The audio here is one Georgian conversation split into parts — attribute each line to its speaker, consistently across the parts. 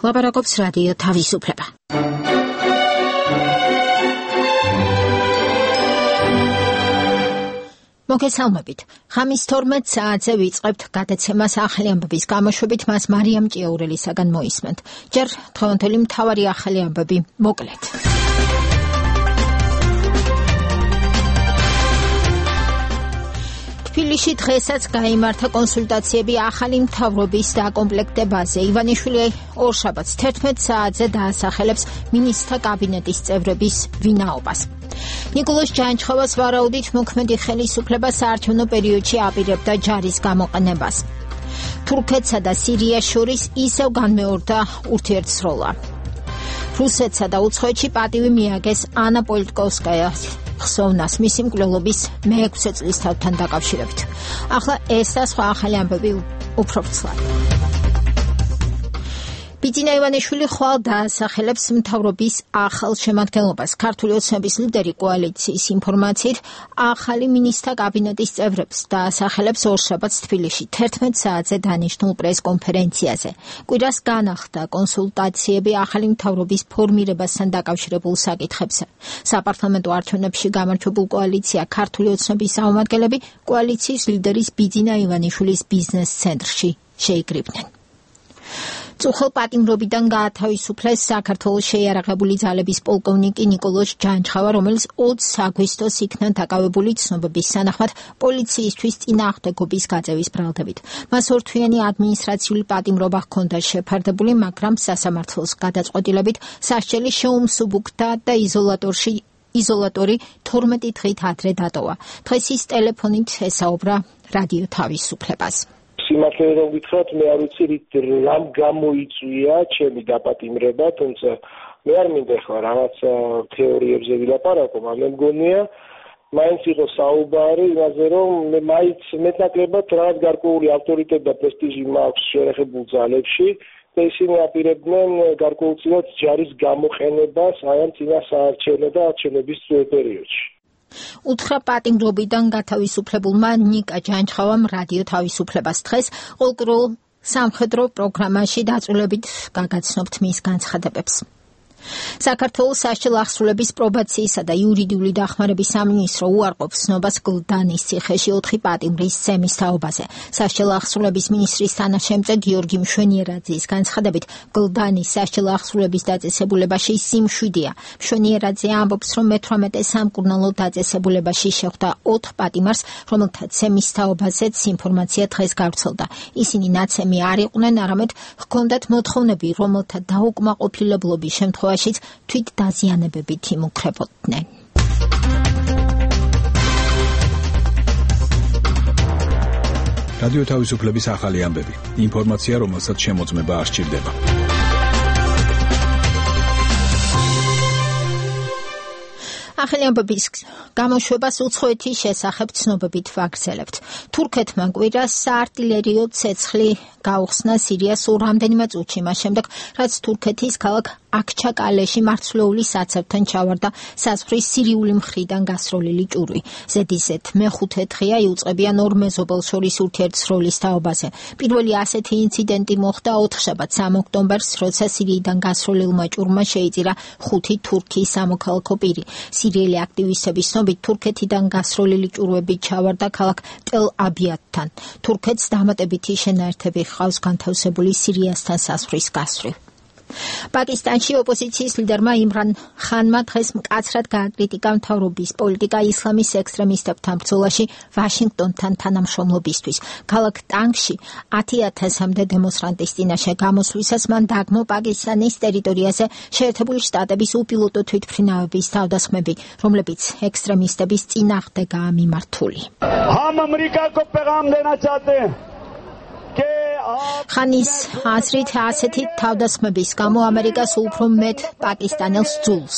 Speaker 1: ლაპარაკობს რადიო თავისუფლება. მოგესალმებით. ხამის 12 საათზე ვიწყებთ გადაცემას ახალი ამბების გამოშვებით, მას მარიამ ჭიაურელისაგან მოისმენთ. ჯერ დღევანდელი მთავარი ახალი ამბები მოკლედ. თბილისში დღესაც გაიმართა კონსულტაციები ახალი მთავრობის დაკომპლექტებაზე. ივანიშვილი ორშაბათს 11 საათზე დაასახელებს მინისტრთა კაბინეტის წევრების ვინაობას. ნიკოლოზ ჯანჩხავას ვარაუდით მოქმედი ხელისუფლება საარჩევნო პერიოდში აპირებდა ჯარის გამოყენებას. თურქეთსა და სირიას შორის ისევ განმეორდა ურთიერთსროლა. რუსეთსა და უცხოეთში პატივი მიაგეს ანა პოლიტკოვსკაიას ხსოვნას მისი მკვლელობის მე-6 წლის თავთან დაკავშირებით. ახლა ეს და სხვა ახალი ამბები უფრო ვრცლად. ბიძინა ივანიშვილი ხვალ დაასახელებს მთავრობის ახალ შემადგენლობას. ქართული ოცნების ლიდერი კოალიციის ინფორმაციით ახალი მინისტრთა კაბინეტის წევრებს დაასახელებს ორშაბათს თბილისში 11 საათზე დანიშნულ პრესკონფერენციაზე. კვირას განახლდა კონსულტაციები ახალი მთავრობის ფორმირებასთან დაკავშირებულ საკითხებზე. საპარლამენტო არჩევნებში გამარჯვებულ კოალიცია ქართული ოცნების წარმომადგენლები კოალიციის ლიდერის ბიძინა ივანიშვილის ბიზნეს ცენტრში შეიკრიბნენ. წუხელ პატიმრობიდან გაათავისუფლეს საქართველოს შეიარაღებული ძალების პოლკოვნიკი ნიკოლოზ ჯანჩხავა, რომელიც 20 აგვისტოს იქნა დაკავებული ცნობების თანახმად პოლიციისთვის წინააღმდეგობის გაწევის ბრალდებით. მას ორთვიანი ადმინისტრაციული პატიმრობა ჰქონდა შეფარდებული, მაგრამ სასამართლოს გადაწყვეტილებით სასჯელი შეუმსუბუქდა და იზოლატორი 12 დღით ადრე დატოვა. დღეს ის ტელეფონით ესაუბრა რადიო თავისუფლებას.
Speaker 2: სიმართლე რომ გითხრათ, მე არ ვიცი რამ გამოიწვია ჩემი დაპატიმრება, თუმცა მე არ მინდა ახლა რაღაც თეორიებზე ვილაპარაკო, მაგრამ მე მგონია მაინც იყო საუბარი იმაზე, რომ მე მაინც მეტნაკლებად რაღაც გარკვეული ავტორიტეტი და პრესტიჟი მაქვს შეერაღებულ ძალებში და ისინი აპირებდნენ გარკვეულწილად ჯარის გამოყენებას აი ამ წინა საარჩევნო და არჩევნების პერიოდში.
Speaker 1: უთხრა პატიმრობიდან გათავისუფლებულმა ნიკა ჯანჩხავამ რადიო თავისუფლებას. დღეს ყოველდღიურ სამხედრო პროგრამაში დაწვრილებით გაგაცნობთ მის განცხადებებს. საქართველოს სასჯელ აღსრულების პრობაციისა და იურიდიული დახმარების სამინისტრო უარყოფს ცნობას გლდანის ციხეში 4 პატიმრის სემის თაობაზე. სასჯელ აღსრულების მინისტრის თანაშემწე გიორგი მშვენიერაძის განცხადებით, გლდანის სასჯელ აღსრულების დაწესებულებაში სიმშვიდეა. მშვენიერაძე ამბობს, რომ მე-18 სამკურნალო დაწესებულებაში შეხვდა 4 პატიმარს, რომელთაც სემის თაობაზეც ინფორმაცია დღეს გავრცელდა. ისინი ნაცემი არ იყვნენ, არამედ ჰქონდათ მოთხოვნები, რომელთა დაუკმაყოფილებლობის შემთხვევაში თვით დაზიანებებით იმუქრებოდნენ.
Speaker 3: რადიო თავისუფლების ახალი ამბები. ინფორმაცია, რომელსაც შემოწმება არ სჭირდება. ახალი ამბების გამოშვებას უცხოეთის შესახებ ცნობებით ვაგრძელებთ. თურქეთმა კვირას საარტილერიო ცეცხლი გაუხსნა სირიას რამდენიმე წუთში მას შემდეგ, რაც თურქეთის ქალაქ აქჩაკალეში მარცვლეული საცევთან ჩავარდა საზღვრის სირიული მხრიდან გასროლილი ჭურვი. ზედიზედ მე-5 დღეა იუწყებიან ორ მეზობელს შორის ურთიერთსროლის თაობაზე. პირველი ასეთი ინციდენტი მოხდა 4 3 ოქტომბერს, როცა სირიიდან გასროლილმა ჭურვმა შეიწირა 5 თურქის სამოქალაქო პირი. სირიელი აქტივისტების ცნობით, თურქეთიდან გასროლილი ჭურვები ჩავარდა ქალაქ ტელ-აბიადთან. თურქეთს დამატებითი შენაერთები ჰყავს განთავსებული სირიასთან საზღვრის გასწვრივ. პაკისტანში ოპოზიციის ლიდერმა იმრან ხანმა დღეს მკაცრად გააკრიტიკა მთავრობის პოლიტიკა ისლამის ექსტრემისტებთან ბრძოლაში ვაშინგტონთან თანამშრომლობისთვის. ქალაქ ტანგში 10,000-მდე დემონსტრანტის წინაშე გამოსვლისას მან დაგმო პაკისტანის ტერიტორიაზე შეერთებული შტატების უპილოტო თვითმფრინავების თავდასხმები, რომლებიც ექსტრემისტების წინააღმდეგაა მიმართული.
Speaker 4: ჰამ ამერიკა კო პეგამ დენა ჩაჰტე ჰენ.
Speaker 1: ხანის აზრით ასეთი თავდასხმების გამო ამერიკას უფრო მეტ პაკისტანელს ძულს.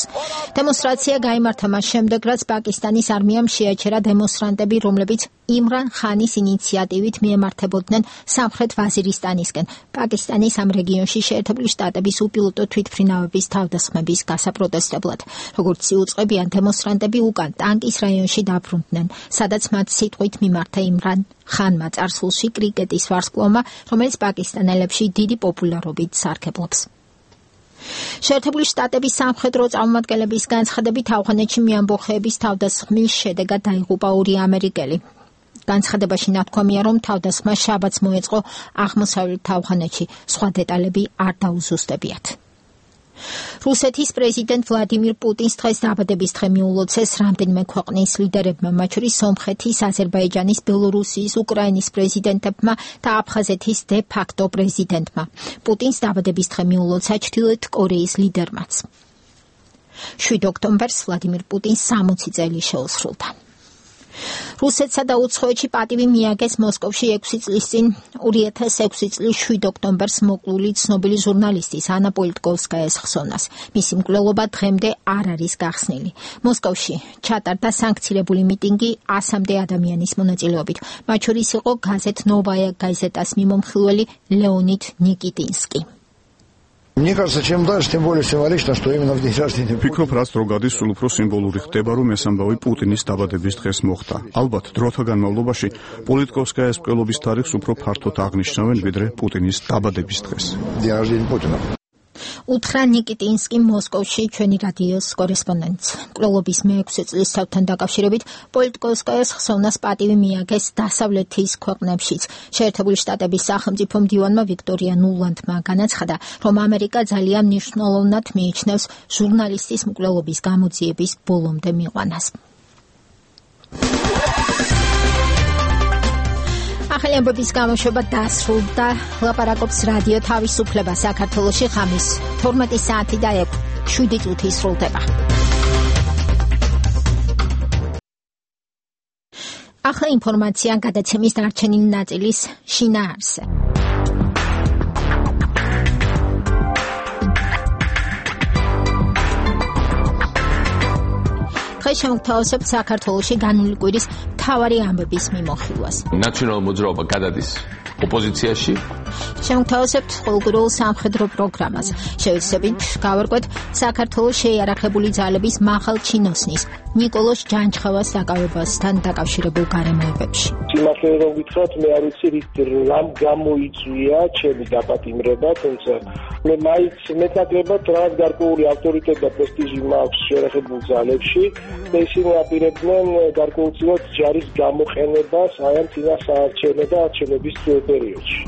Speaker 1: დემონსტრაცია გაიმართა მას შემდეგ, რაც პაკისტანის არმიამ შეაჩერა დემონსტრანტები, რომლებიც იმრან ხანის ინიციატივით მიემართებოდნენ სამხრეთ ვაზირისტანისკენ, პაკისტანის ამ რეგიონში შეერთებული შტატების უპილოტო თვითმფრინავების თავდასხმების გასაპროტესტებლად. როგორც იუწყებიან, დემონსტრანტები უკან ტანკის რაიონში დაბრუნდნენ, სადაც მათ სიტყვით მიმართა იმრან ხანმა წარსულში კრიკეტის ვარსკვლავმა, რომელიც პაკისტანელებში დიდი პოპულარობით სარგებლობს. შეერთებული შტატების სამხედრო წარმომადგენლების განცხადებით ავღანეთში მეამბოხეების თავდასხმის შედეგად დაიღუპა 2 ამერიკელი. განცხადებაში ნათქვამია, რომ თავდასხმა შაბათს მოეწყო აღმოსავლეთ ავღანეთში, სხვა დეტალები არ დაუზუსტებიათ. რუსეთის პრეზიდენტ ვლადიმირ პუტინს დღეს დაბადების დღე მიულოცეს რამდენიმე ქვეყნის ლიდერებმა, მათ შორის სომხეთის, აზერბაიჯანის, ბელორუსიის, უკრაინის პრეზიდენტებმა და აფხაზეთის დე ფაქტო პრეზიდენტმა. პუტინს დაბადების დღე მიულოცა ჩრდილოეთ კორეის ლიდერმაც. 7 ოქტომბერს ვლადიმირ პუტინს 60 წელი შეუსრულდა. რუსეთსა და უცხოეთში პატივი მიაგეს მოსკოვში 6 წლის წინ 2006 წლის 7 ოქტომბერს მოკლული ცნობილი ჟურნალისტის ანა პოლიტკოვსკაიას ხსოვნას. მისი მკვლელობა დღემდე არ არის გახსნილი. მოსკოვში ჩატარდა სანქცირებული მიტინგი 100-მდე ადამიანის მონაწილეობით. მათ შორის იყო გაზეთ ნოვაია გაზეტას მიმომხილველი ლეონიდ ნიკიტინსკი.
Speaker 5: Мне кажется, чем дальше, тем более символично, что именно в день рождения.
Speaker 6: Ფიქრობ, რაც რო გადის, სულ უფრო სიმბოლური ხდება, რომ ეს ამბავი პუტინის დაბადების დღეს მოხდა. ალბათ, დროთა განმავლობაში პოლიტკოვსკაიას მკვლელობის თარიღს უფრო ფართოდ აღნიშნავენ, ვიდრე პუტინის დაბადების დღეს.
Speaker 5: День рождения Путина.
Speaker 1: უთხრა ნიკიტინსკი მოსკოვში ჩვენი რადიოს კორესპონდენტს. მკვლელობის მე-6 წლის თავთან დაკავშირებით პოლიტკოვსკაიას ხსოვნას პატივი მიაგეს დასავლეთის ქვეყნებშიც. შეერთებული შტატების სახელმწიფო მდივანმა ვიქტორია ნულანდმა განაცხადა, რომ ამერიკა ძალიან მნიშვნელოვნად მიიჩნევს ჟურნალისტის მკვლელობის გამოძიების ბოლომდე მიყვანას. ახალი ამბების გამოშვება დასრულდა. ლაპარაკობს რადიო თავისუფლება საქართველოში ხამის 12 საათი და 7 წუთი სრულდება. ახლა ინფორმაცია გადაცემის დარჩენილი ნაწილის შინაარსზე. დღეს შევთავაზებთ საქართველოში განული კვირის მთავარი ამბების მიმოხილვას.
Speaker 7: ნაციონალურ მოძრაობა გადადის ოპოზიციაში.
Speaker 1: შევთავაზებთ ყოველგვარულ სამხედრო პროგრამას. შევეცდებით გავარკვეთ საქართველოს შეიარაღებული ძალების მაღალ ჩინოსნის ნიკოლოზ ჯანჩხევას დაკავებასთან დაკავშირებულ გარემოებებში.
Speaker 2: სიმართლე რომ გითხრათ, მე არ ვიცი რამ გამოიწვია ჩემი დაპატიმრება, თუმცა მე მაინც მეტნაკლებად რაღაც გარკვეული ავტორიტეტი და პრესტიჟი მაქვს შეიარაღებულ ძალებში და ისინი აპირებდნენ გარკვეულწილად ჯარის გამოყენებას აი ამ წინასაარჩევნო და არჩევნების პერიოდში.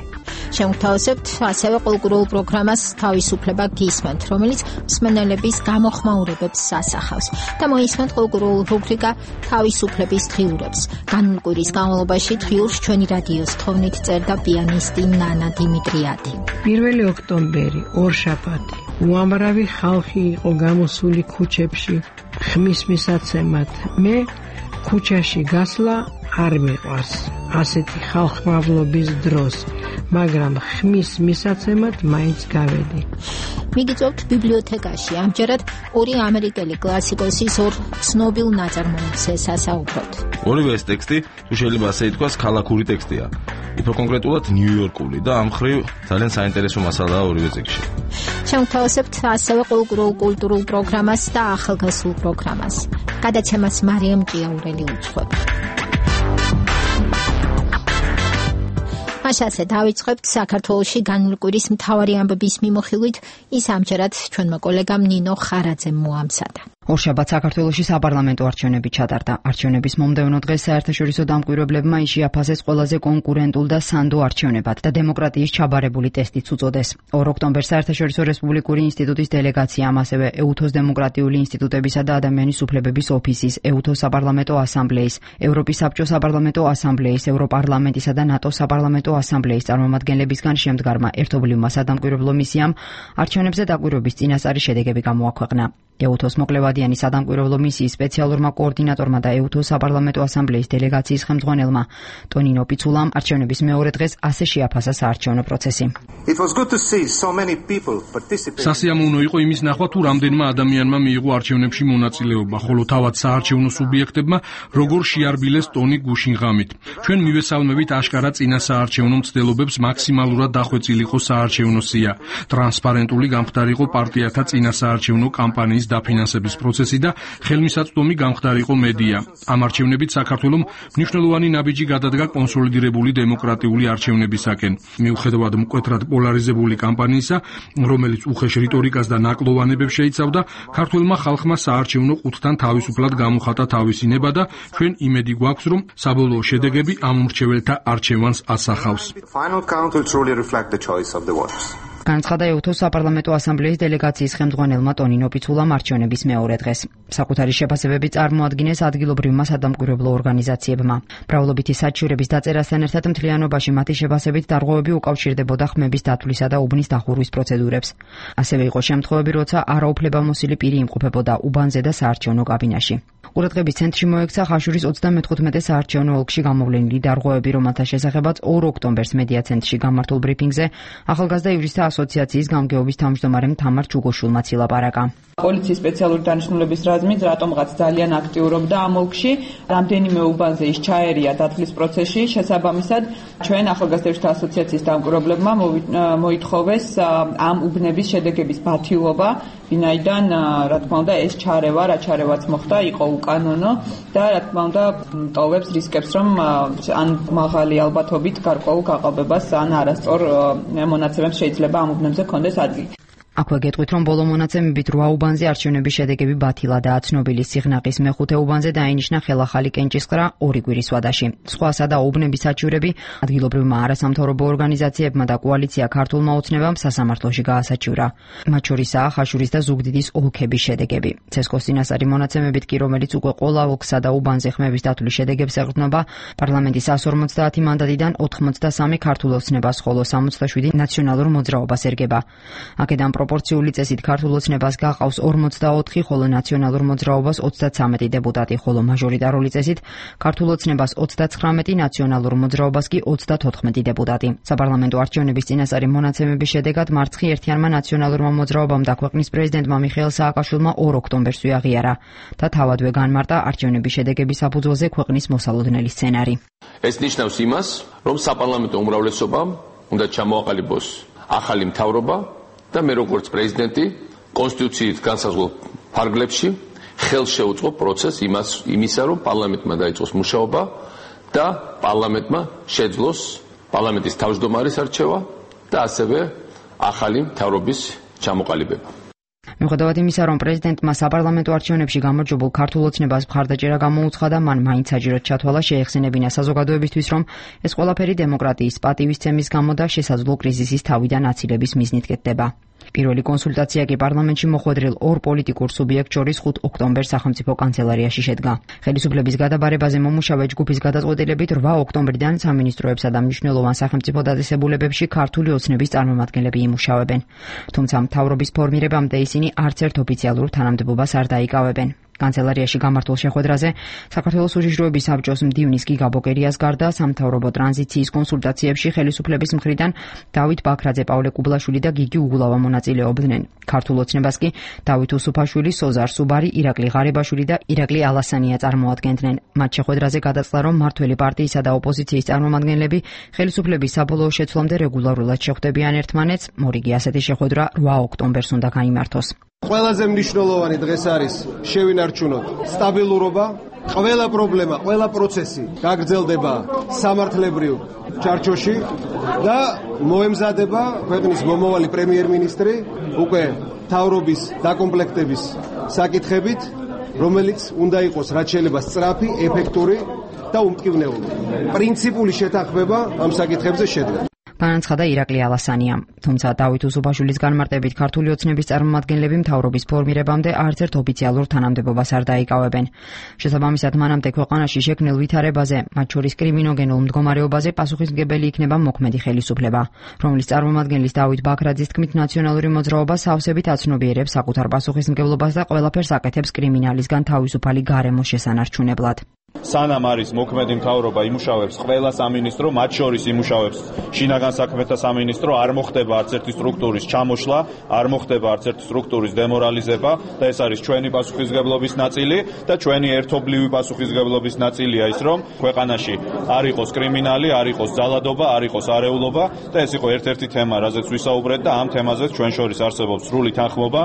Speaker 1: შევთავაზებთ ასევე ყოველგვარულ პროგრამას თავისუფლება გისმენთ, რომელიც მსმენელების გამოხმაურებებს ასახავს და მოისმენთ ყოველგვარულ რუბრიკა თავისუფლების დღიურებს. განული კვირის განმავლობაში დღიურს ჩვენი რადიოს თხოვნით წერდა პიანისტი ნანა დიმიტრიადი.
Speaker 8: 1 ოქტომბერი, ორშაბათი. უამრავი ხალხი იყო გამოსული ქუჩებში ხმის მისაცემად. მე ქუჩაში გასვლა არ მიყვარს ასეთი ხალხმავლობის დროს, მაგრამ ხმის მისაცემად მაინც გავედი.
Speaker 1: მიგიწევთ ბიბლიოთეკაში. ამჯერად 2 ამერიკელი კლასიკოსის ორ ცნობილ ნაწარმოებს ესასაუბროთ.
Speaker 9: ორივე ეს ტექსტი, თუ შეიძლება ასე ითქვას, ქალაქური ტექსტია. უფრო კონკრეტულად ნიუ-იორკული და ამ მხრივ ძალიან საინტერესო მასალაა ორივე ტექსტში.
Speaker 1: შევთავაზებთ ასევე ყოველგვარულ კულტურულ პროგრამას და ახალგაზრდულ პროგრამას. გადაცემას მარიამ ჭიაურელი უძღვება. მაშასე დავიწყებთ საქართველოში განული კვირის მთავარი ამბების მიმოხილვით, ის ამჯერად ჩვენმა კოლეგამ ნინო ხარაძემ მოამზადა.
Speaker 10: ორშაბათს საქართველოში საპარლამენტო არჩევნები ჩატარდა. არჩევნების მომდევნო დღეს საერთაშორისო დამკვირვებლებმა შეაფასეს ყველაზე კონკურენტულ და სანდო არჩევნებად და დემოკრატიის ჩაბარებული ტესტიც უწოდეს. 2 ოქტომბერს საერთაშორისო რესპუბლიკური ინსტიტუტის დელეგაციამ, ასევე ეუთოს დემოკრატიული ინსტიტუტებისა და ადამიანის უფლებების ოფისის, ეუთოს საპარლამენტო ასამბლეის, ევროპის საბჭოს საპარლამენტო ასამბლეის, ევროპარლამენტისა და ნატოს საპარლამენტო ასამბლეის წარმომადგენლებისგან შემდგარმა ერთობლივმა სადამკვირვებლო მისიამ არჩევნებზე დაკვირვების წინასწარი შედეგები გამოაქვეყნა. ეუთოს მოკლევადიანი სადამკვირვებლო მისიის სპეციალურმა კოორდინატორმა და ეუთოს საპარლამენტო ასამბლეის დელეგაციის ხელმძღვანელმა ტონინო პიცულამ არჩევნების მეორე დღეს ასე შეაფასა საარჩევნო პროცესი.
Speaker 11: სასიამოვნო იყო იმის ნახვა, თუ რამდენმა ადამიანმა მიიღო არჩევნებში მონაწილეობა, ხოლო თავად საარჩევნო სუბიექტებმა როგორ შეარბილეს ტონი გუშინ ღამით. ჩვენ მივესალმებით აშკარა წინასაარჩევნო მცდელობებს მაქსიმალურად დახვეწილიყო საარჩევნო სია. ტრანსპარენტული გამხდარიყო პარტიათა წინასაარჩევნო კამპანიის დაფინანსების პროცესი და ხელმისაწვდომი გამხდარიყო მედია. ამ არჩევნებით საქართველომ მნიშვნელოვანი ნაბიჯი გადადგა კონსოლიდირებული დემოკრატიული არჩევნებისაკენ. მიუხედავად მკვეთრად პოლარიზებული კამპანიისა, რომელიც უხეშ რიტორიკას და ნაკლოვანებებს შეიცავდა, ქართველმა ხალხმა საარჩევნო ყუთთან თავისუფლად გამოხატა თავისი ნება და ჩვენ იმედი გვაქვს, რომ საბოლოო შედეგები ამ მრჩეველთა არჩევანს ასახავს.
Speaker 10: განაცხადა ეუთოს საპარლამენტო ასამბლეის დელეგაციის ხელმძღვანელმა ტონინო პიცულამ არჩევნების მეორე დღეს. საკუთარი შეფასებები წარმოადგინეს ადგილობრივმა სადამკვირვებლო ორგანიზაციებმა. მრავლობითი საჩივრების დაწერასთან ერთად მთლიანობაში მათი შეფასებით დარღვევები უკავშირდებოდა ხმების დათვლისა და უბნის დახურვის პროცედურებს. ასევე იყო შემთხვევები, როცა არაუფლებამოსილი პირი იმყოფებოდა უბანზე და საარჩევნო კაბინაში. ყურადღების ცენტრში მოექცა ხაშურის 35 საარჩევნო ოლქში გამოვლენილი დარღვევები, რომელთა შესახებაც 2 ოქტომბერს მედია ცენტრში გამართულ ბრიფინგზე ახალგაზრდა იურისტთა ასოციაციის გამგეობის თავმჯდომარემ თამარ ჩუგოშვილმა ცილაპარაკა.
Speaker 12: პოლიციის სპეციალური დანიშნულების რაზმით რატომღაც ძალიან აქტიურობდა ამ ოლქში, რამდენიმე უბანზე ის ჩაერია დათვლის პროცესში, შესაბამისად ჩვენ ახალგაზრდა იურისტთა ასოციაციის დამკვირვებლებმა მოითხოვეს ამ უბნების შედეგების ბათილობა, ვინაიდან რა თქმა უნდა ეს ჩარევა, რა ჩარევაც მოხდა, იყო უკანონო და რა თქმა უნდა ტოვებს რისკებს, რომ ან მაღალი ალბათობით გარკვეულ გაყალბებას ან არასწორ მონაცემებს შეიძლება ამ უბნებზე კონდეს ადგილი.
Speaker 10: აქვე გეტყვით, რომ ბოლო მონაცემებით 8 უბანზე არჩევნების შედეგები ბათილადაა ცნობილი. სიღნაღის მე-5 უბანზე დაინიშნა ხელახალი კენჭისყრა 2 კვირის ვადაში. სხვა სადა უბნების საჩივრები ადგილობრივმა არასამთავრობო ორგანიზაციებმა და კოალიცია ქართულმა ოცნებამ სასამართლოში გაასაჩივრა. მათ შორისაა ხაშურის და ზუგდიდის ოლქების შედეგები. ცესკოს წინასწარი მონაცემებით კი, რომელიც უკვე ყველა ოლქსა და უბანზე ხმების დათვლის შედეგებს ეყრდნობა, პარლამენტის 150 მანდატიდან 83 ქართულ ოცნებას, ხოლო 67 ნაციონალურ მოძრაობას ერგება. აქედან პროპორციული წესით ქართულ ოცნებას გაყავს 44, ხოლო ნაციონალურ მოძრაობას 33 დეპუტატი, ხოლო მაჟორიტარული წესით ქართულ ოცნებას 39, ნაციონალურ მოძრაობას კი 34 დეპუტატი. საპარლამენტო არჩევნების წინასწარი მონაცემების შედეგად მარცხი ერთიანმა ნაციონალურმა მოძრაობამ და ქვეყნის პრეზიდენტმა მიხეილ სააკაშვილმა 2 ოქტომბერს აღიარა და თავადვე განმარტა არჩევნების შედეგების საფუძველზე ქვეყნის მოსალოდნელი სცენარი.
Speaker 7: ეს ნიშნავს იმას, რომ საპარლამენტო უმრავლესობამ უნდა ჩამოაყალიბოს ახალი მთავრობა და მე როგორც პრეზიდენტი კონსტიტუციით განსაზღვრულ ფარგლებში ხელს შეუწყო პროცესს იმისა, რომ პარლამენტმა დაიწყოს მუშაობა და პარლამენტმა შეძლოს პარლამენტის თავმჯდომარის არჩევა და ასევე ახალი მთავრობის ჩამოყალიბება.
Speaker 10: მიუხედავად იმისა, რომ პრეზიდენტმა საპარლამენტო არჩევნებში გამარჯვებულ ქართულ ოცნებას მხარდაჭერა გამოუცხადა, მან მაინც საჯაროდ ჩათვალა შეეხსენებინა საზოგადოებისთვის, რომ ეს ყველაფერი დემოკრატიის პატივისცემის გამო და შესაძლო კრიზისის თავიდან აცილების მიზნით კეთდება. პირველი კონსულტაცია კი პარლამენტში მოხვედრილ 2 პოლიტიკურ სუბიექტ შორის 5 ოქტომბერს სახელმწიფო კანცელარიაში შედგა. ხელისუფლების გადაბარებაზე მომუშავე ჯგუფის გადაწყვეტილებით 8 ოქტომბრიდან სამინისტროებსა და მნიშვნელოვან სახელმწიფო დაწესებულებებში ქართული ოცნების წარმომადგენლები იმუშავებენ. თუმცა მთავრობის ფორმირებამდე ისინი არც ერთ ოფიციალურ თანამდებობას არ დაიკავებენ. კანცელარიაში გამართულ შეხვედრაზე საქართველოს უშიშროების საბჭოს მდივნის გიგა ბოკერიას გარდა სამთავრობო ტრანზიციის კონსულტაციებში ხელისუფლების მხრიდან დავით ბაქრაძე, პავლე კუბლაშვილი და გიგი უგულავა მონაწილეობდნენ. ქართულ ოცნებას კი დავით უსუფაშვილი, სოზარ სუბარი, ირაკლი ღარიბაშვილი და ირაკლი ალასანია წარმოადგენდნენ. მათ შეხვედრაზე გადაწყდა, რომ მმართველი პარტიისა და ოპოზიციის წარმომადგენლები ხელისუფლების საბოლოო შეცვლამდე რეგულარულად შეხვდებიან ერთმანეთს. მორიგი ასეთი შეხვედრა 8 ოქტომბერს უნდა გაიმართოს.
Speaker 13: ყველაზე მნიშვნელოვანი დღეს არის შევინარჩუნოთ სტაბილურობა, ყველა პრობლემა, ყველა პროცესი გაგრძელდება სამართლებრივ ჩარჩოში და მოემზადება ქვეყნის მომავალი პრემიერ-მინისტრი უკვე მთავრობის დაკომპლექტების საკითხებით, რომელიც უნდა იყოს რაც შეიძლება სწრაფი, ეფექტური და უმტკივნეული. პრინციპული შეთანხმება ამ საკითხებზე შედგა.
Speaker 10: განაცხადა ირაკლი ალასანია. თუმცა დავით უსუფაშვილის განმარტებით ქართული ოცნების წარმომადგენლები მთავრობის ფორმირებამდე არც ერთ ოფიციალურ თანამდებობას არ დაიკავებენ. შესაბამისად, მანამდე ქვეყანაში შექმნილ ვითარებაზე, მათ შორის კრიმინოგენულ მდგომარეობაზე პასუხისმგებელი იქნება მოქმედი ხელისუფლება, რომლის წარმომადგენლის დავით ბაქრაძის თქმით, ნაციონალური მოძრაობა სავსებით აცნობიერებს საკუთარ პასუხისმგებლობას და ყველაფერს აკეთებს კრიმინალისგან თავისუფალი გარემოს შესანარჩუნებლად.
Speaker 14: სანამ არის მოქმედი მთავრობა იმუშავებს ყველა სამინისტრო, მათ შორის იმუშავებს შინაგან საქმეთა სამინისტრო, არ მოხდება არც ერთი სტრუქტურის ჩამოშლა, არ მოხდება არც ერთი სტრუქტურის დემორალიზება და ეს არის ჩვენი პასუხისმგებლობის ნაწილი და ჩვენი ერთობლივი პასუხისმგებლობის ნაწილია ის, რომ ქვეყანაში არ იყოს კრიმინალი, არ იყოს ძალადობა, არ იყოს არეულობა და ეს იყო ერთ-ერთი თემა, რაზეც ვისაუბრეთ და ამ თემაზეც ჩვენ შორის არსებობს სრული თანხმობა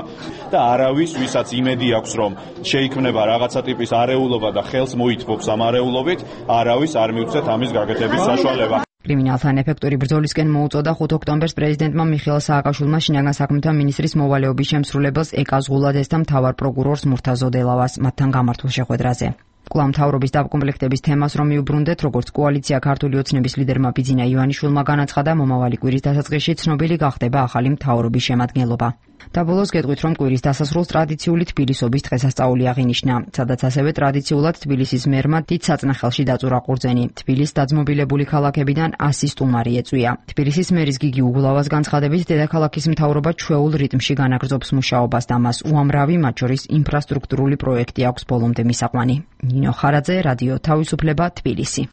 Speaker 14: და არავის, ვისაც იმედი აქვს, რომ შეიქმნება რაღაცა ტიპის არეულობა და ხელს მოითბობს ამ არეულობით, არავის არ მივცეთ ამის გაკეთების საშუალება.
Speaker 10: კრიმინალთან ეფექტური ბრძოლისკენ მოუწოდა 5 ოქტომბერს პრეზიდენტმა მიხეილ სააკაშვილმა შინაგან საქმეთა მინისტრის მოვალეობის შემსრულებელს ეკა ზღულაძეს და მთავარ პროკურორს მურთაზ ოდელავას მათთან გამართულ შეხვედრაზე. კვლავ მთავრობის დაკომპლექტების თემას რომ მიუბრუნდეთ, როგორც კოალიცია ქართული ოცნების ლიდერმა ბიძინა ივანიშვილმა განაცხადა, მომავალი კვირის დასაწყისში ცნობილი გახდება ახალი მთავრობის შემადგენლობა. და ბოლოს გეტყვით, რომ კვირის დასასრულს ტრადიციული თბილისობის დღესასწაული აღინიშნა, სადაც ასევე ტრადიციულად თბილისის მერმა დიდ საწნახელში დაწურა ყურძენი. თბილისს დაძმობილებული ქალაქებიდან 100 სტუმარი ეწვია. თბილისის მერის გიგი უგულავას განცხადებით, დედაქალაქის მთავრობა ჩვეულ რიტმში განაგრძობს მუშაობას და მას უამრავი, მათ შორის ინფრასტრუქტურული პროექტი აქვს ბოლომდე მისაყვანი. ნინო ხარაძე, რადიო თავისუფლება, თბილისი.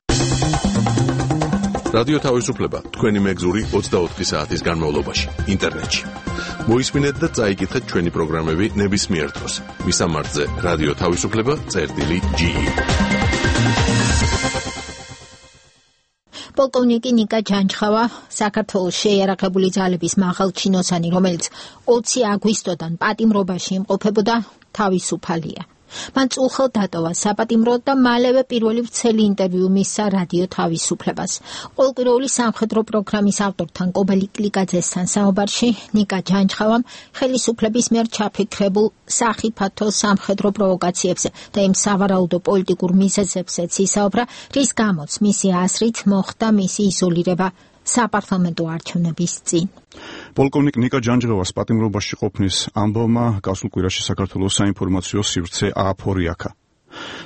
Speaker 15: რადიო თავისუფლება თქვენი მეგზური 24 საათის განმავლობაში ინტერნეტში. მოისმინეთ და წაიკითხეთ ჩვენი პროგრამები ნებისმიერ დროს. მისამართზე რადიო თავისუფლება.ge.
Speaker 1: პოლკოვნიკი ნიკა ჯანჯხავა საქართველოს შეიარაღებული ძალების მაღალჩინოსანი, რომელიც 20 აგვისტოდან პატიმრობაში იმყოფებოდა, თავისუფალია. მან წუხელ დატოვა საპატიმრო და მალევე პირველი ვრცელი ინტერვიუ მისცა რადიო თავისუფლებას. ყოველკვირეული სამხედრო პროგრამის ავტორთან კობელი კლიკაძესთან საუბარში ნიკა ჯანჯხავამ ხელისუფლების მიერ ჩაფიქრებულ სახიფათო სამხედრო პროვოკაციებზე და იმ სავარაუდო პოლიტიკურ მიზეზებზეც ისაუბრა, რის გამოც მისი აზრით მოხდა მისი იზოლირება საპარლამენტო არჩევნების წინ.
Speaker 6: პოლკოვნიკ ნიკა ჯანჯღევას პატიმრობაში ყოფნის ამბავმა გასულ კვირაში საქართველოს საინფორმაციო სივრცე ააფორიაქა.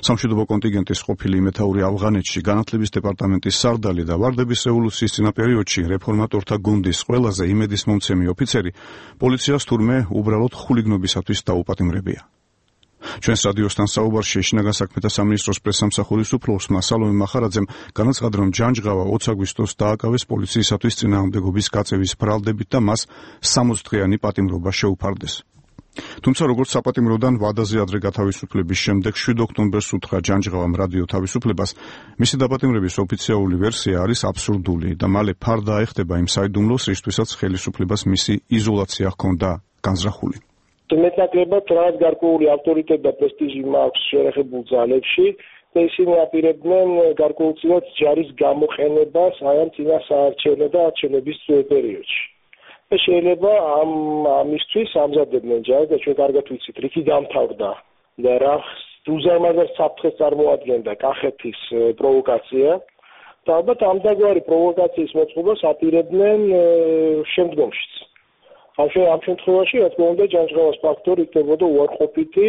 Speaker 6: სამშვიდობო კონტინგენტის ყოფილი მეთაური ავღანეთში, განათლების დეპარტამენტის სარდალი და ვარდების რევოლუციის წინა პერიოდში რეფორმატორთა გუნდის ყველაზე იმედისმომცემი ოფიცერი პოლიციას თურმე უბრალოდ ხულიგნობისათვის დაუპატიმრებია. ჩვენს რადიოსთან საუბარში შინაგან საქმეთა სამინისტროს პრესსამსახურის უფროსმა სალომე მახარაძემ განაცხადა, რომ ჯანჯღავა 20 აგვისტოს დააკავეს პოლიციისათვის წინააღმდეგობის გაწევის ბრალდებით და მას 60 დღიანი პატიმრობა შეუფარდეს. თუმცა როგორც საპატიმროდან ვადაზე ადრე გათავისუფლების შემდეგ 7 ოქტომბერს უთხრა ჯანჯღავამ რადიო თავისუფლებას, მისი დაპატიმრების ოფიციალური ვერსია არის აბსურდული და მალე ფარდა ეხდება იმ საიდუმლოს, რისთვისაც ხელისუფლებას მისი იზოლაცია ჰქონდა განზრახული.
Speaker 2: მეტნაკლებად რაღაც გარკვეული ავტორიტეტი და პრესტიჟი მაქვს შეერაღებულ ძალებში და ისინი აპირებდნენ გარკვეულწილად ჯარის გამოყენებას აი ამ წინა საარჩევნო და არჩევნების პერიოდში. და შეიძლება ამისთვის ამზადებდნენ ჯარს და ჩვენ კარგად ვიცით, რითი დამთავრდა და რა უზარმაზარ საფრთხეს წარმოადგენდა კახეთის პროვოკაცია და ალბათ ამდაგვარი პროვოკაციის მოწყობას აპირებდნენ შემდგომშიც. ამ შემთხვევაში, რა თქმა უნდა, ჯანჯღავას ფაქტორი იქნებოდა უარყოფითი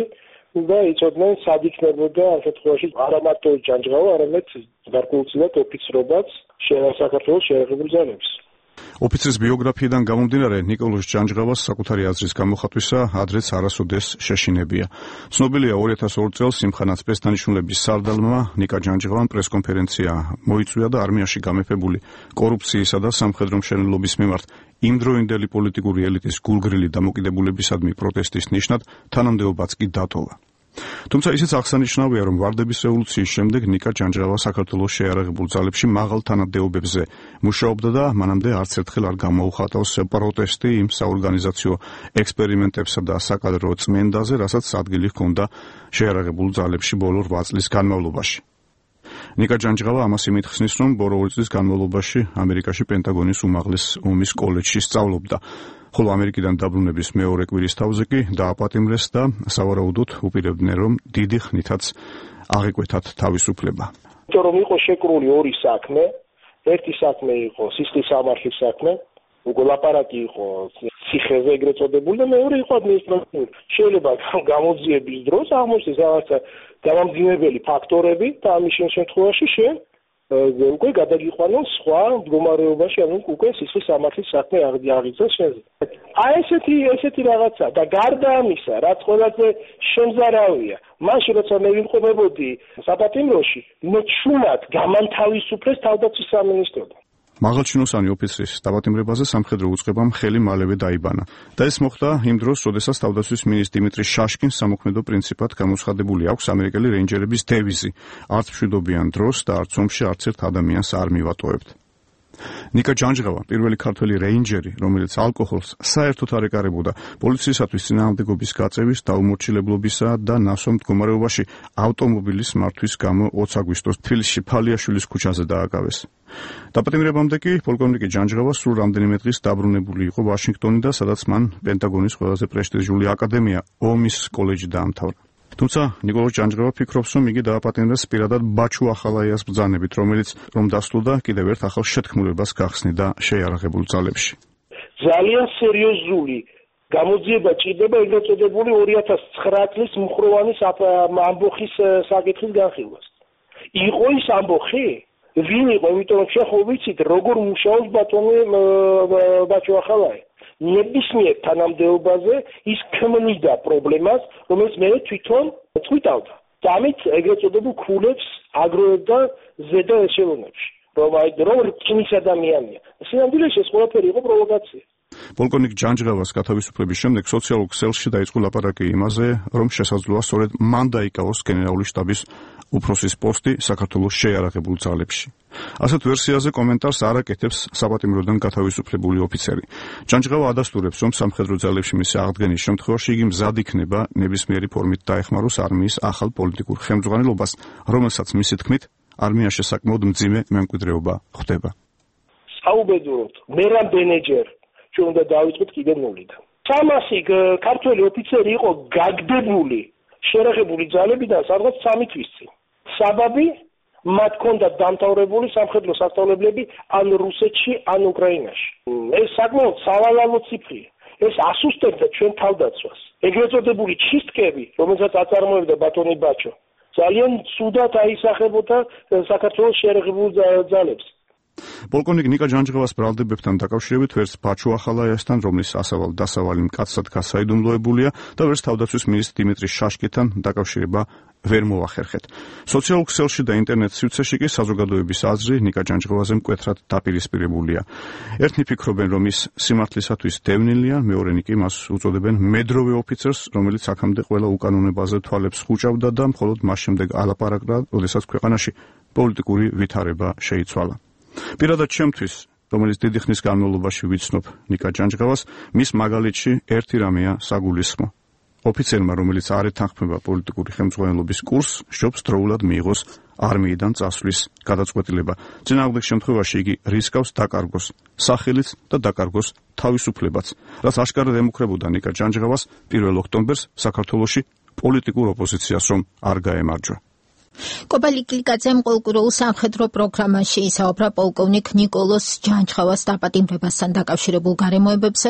Speaker 2: და იცოდნენ, სად იქნებოდა ამ შემთხვევაში არა მარტო ჯანჯღავა, არამედ გარკვეულწილად ოფიცრობაც საქართველოს შეიარაღებულ ძალებს.
Speaker 6: ოფიცრის ბიოგრაფიიდან გამომდინარე, ნიკოლოზ ჯანჯღავას საკუთარი აზრის გამოხატვისა ადრეც არასოდეს შეშინებია. ცნობილია 2002 წელს სიმხან აწესდანიშნულების სარდალმა ნიკა ჯანჯღავამ პრესკონფერენცია მოიწვია და არმიაში გამეფებული კორუფციისა და სამხედრო მშენებლობის მიმართ იმდროინდელი პოლიტიკური ელიტის გულგრილი დამოკიდებულებისადმი პროტესტის ნიშნად თანამდებობაც კი დატოვა. თუმცა ისიც აღსანიშნავია, რომ ვარდების რევოლუციის შემდეგ ნიკა ჯანჯღავა საქართველოს შეიარაღებულ ძალებში მაღალ თანამდებობებზე მუშაობდა და მანამდე არც ერთხელ არ გამოუხატავს პროტესტი იმ საორგანიზაციო ექსპერიმენტებსა და საკადრო წმენდაზე, რასაც ადგილი ჰქონდა შეიარაღებულ ძალებში ბოლო 8 წლის განმავლობაში. ნიკა ჯანჯღავა ამას იმით ხსნის, რომ ბოლო 2 წლის განმავლობაში ამერიკაში პენტაგონის უმაღლეს ომის კოლეჯში სწავლობდა. ხოლო ამერიკიდან დაბრუნების მეორე კვირის თავზე კი დააპატიმრეს და სავარაუდოდ უპირებდნენ, რომ დიდი ხნითაც აღეკვეთათ თავისუფლება.
Speaker 2: იმიტომ რომ იყო შეკრული ორი საქმე, ერთი საქმე იყო სისხლის სამართლის საქმე, უკვე ლაპარაკი იყო ციხეზე ეგრეთ წოდებული და მეორე იყო ადმინისტრაციული. შეიძლება გამოძიების დროს აღმოჩნდეს რაღაცა გამამძიმებელი ფაქტორები და ამის შემთხვევაში უკვე გადაგიყვანონ სხვა მდგომარეობაში, ანუ უკვე სისხლის სამართლის საქმე აღიძრას შენზე. აი ესეთი რაღაცა და გარდა ამისა, რაც ყველაზე შემზარავია, მაშინ როცა მე ვიმყოფებოდი საპატიმროში, მე ჩუმად გამანთავისუფლეს თავდაცვის სამინისტროდან.
Speaker 6: მაღალჩინოსანი ოფიცრის დაპატიმრებაზე სამხედრო უწყებამ ხელი მალევე დაიბანა და ეს მოხდა იმ დროს, როდესაც თავდაცვის მინისტრი დიმიტრი შაშკინს სამოქმედო პრინციპად გამოცხადებული აქვს ამერიკელი რეინჯერების დევიზი: არც მშვიდობიან დროს და არც ომში არც ერთ ადამიანს არ მივატოვებთ. ნიკა ჯანჯღავა, პირველი ქართველი რეინჯერი, რომელიც ალკოჰოლს საერთოდ არ ეკარებოდა, პოლიციისათვის წინააღმდეგობის გაწევის, დაუმორჩილებლობისა და ნასვამ მდგომარეობაში ავტომობილის მართვის გამო 20 აგვისტოს თბილისში ფალიაშვილის ქუჩაზე დააკავეს. დაპატიმრებამდე კი პოლკოვნიკი ჯანჯღავა სულ რამდენიმე დღის დაბრუნებული იყო ვაშინგტონიდან, სადაც მან პენტაგონის ყველაზე პრესტიჟული აკადემია ომის კოლეჯი დაამთავრა. თუმცა ნიკოლოზ ჯანჯღავა ფიქრობს, რომ იგი დააპატიმრეს პირადად ბაჩუ ახალაიას ბრძანებით, რომელიც რომ დასრულდა კიდევ ერთ ახალ შეთქმულებას გახსნიდა შეიარაღებულ ძალებში.
Speaker 2: ძალიან სერიოზული გამოძიება ჭირდება ეგრეთ წოდებული 2009 წლის მუხროვანის ამბოხის საკითხის განხილვას. იყო ის ამბოხი? ვინ იყო? იმიტომ რომ შეხო ვიცით, როგორ მუშაობს ბატონი ბაჩუ ახალაი. ნებისმიერ თანამდებობაზე ის ქმნიდა პრობლემას, რომელიც მე თვითონ წვითავდა. და ამით ეგრეთ წოდებულ ქულებს აგროვებდა ზედა ეშელონებში. რომ რკინის ადამიანია. სინამდვილეში ეს ყველაფერი იყო პროვოკაცია.
Speaker 6: პოლკოვნიკ ჯანჯღავას გათავისუფლების შემდეგ სოციალურ ქსელში დაიწყო ლაპარაკი იმაზე, რომ შესაძლოა სწორედ მან დაიკავოს გენერალური შტაბის უფროსის პოსტი საქართველოს შეიარაღებულ ძალებში. ასეთ ვერსიაზე კომენტარს არ აკეთებს საპატიმროდან გათავისუფლებული ოფიცერი. ჯანჯღავა ადასტურებს, რომ სამხედრო ძალებში მისი აღდგენის შემთხვევაში იგი მზად იქნება ნებისმიერი ფორმით დაეხმაროს არმიის ახალ პოლიტიკურ ხელმძღვანელობას, რომელსაც მისი თქმით არმიაში საკმაოდ მძიმე მემკვიდრეობა ხვდება.
Speaker 2: საუბედუროთ, მერამ ბენეჯერ ჩვენ უნდა დავიწყოთ კიდე ნულიდან. 300 ქართველი ოფიცერი იყო გაგდებული შეიარაღებული ძალებიდან სადღაც 3 თვის წინ. საბაბი მათ ჰქონდათ დამთავრებული სამხედრო სასწავლებლები ან რუსეთში, ან უკრაინაში. ეს საკმაოდ სავალალო ციფრია. ეს ასუსტებდა ჩვენ თავდაცვას. ეგრეთ წოდებული ჩისტკები, რომელსაც აწარმოებდა ბატონი ბაჩო, ძალიან ცუდად აისახებოდა საქართველოს შეიარაღებულ ძალებს.
Speaker 6: პოლკოვნიკ ნიკა ჯანჯღავას ბრალდებებთან დაკავშირებით ვერც ბაჩუ ახალაიასთან, რომლის დასავალი მკაცრად გასაიდუმლოებულია და ვერც თავდაცვის მინისტრი დიმიტრი შაშკინთან დაკავშირება ვერ მოახერხეთ. სოციალურ ქსელში და ინტერნეტ სივრცეში კი საზოგადოების აზრი ნიკა ჯანჯღავაზე მკვეთრად დაპირისპირებულია. ერთნი ფიქრობენ, რომ ის სიმართლისათვის დევნილია, მეორენი კი მას უწოდებენ მედროვე ოფიცერს, რომელიც აქამდე ყველა უკანონებაზე თვალებს ხუჭავდა და მხოლოდ მას შემდეგ ალაპარაკდა, როდესაც ქვეყანაში პოლიტიკური ვითარება შეიცვალა. პირადად ჩემთვის, რომელიც დიდი ხნის განმავლობაში ვიცნობ ნიკა ჯანჯღავას, მის მაგალითში ერთი რამეა საგულისხმო. ოფიცერმა, რომელიც არ ეთანხმება პოლიტიკური ხელმძღვანელობის კურსს, სჯობს დროულად მიიღოს არმიიდან წასვლის გადაწყვეტილება. წინააღმდეგ შემთხვევაში იგი რისკავს დაკარგოს სახელიც და დაკარგოს თავისუფლებაც, რაც აშკარად ემუქრებოდა ნიკა ჯანჯღავას 1 ოქტომბერს საქართველოში პოლიტიკურ ოპოზიციას რომ არ გაემარჯვა.
Speaker 1: კობალი კლიკაძემ ყოლკურულ სამხედრო პროგრამაში ისაუბრა პოლკოვნიკ ნიკოლოზ ჯანჯღავას დაპატიმრებასთან დაკავშირებულ გარემოებებზე.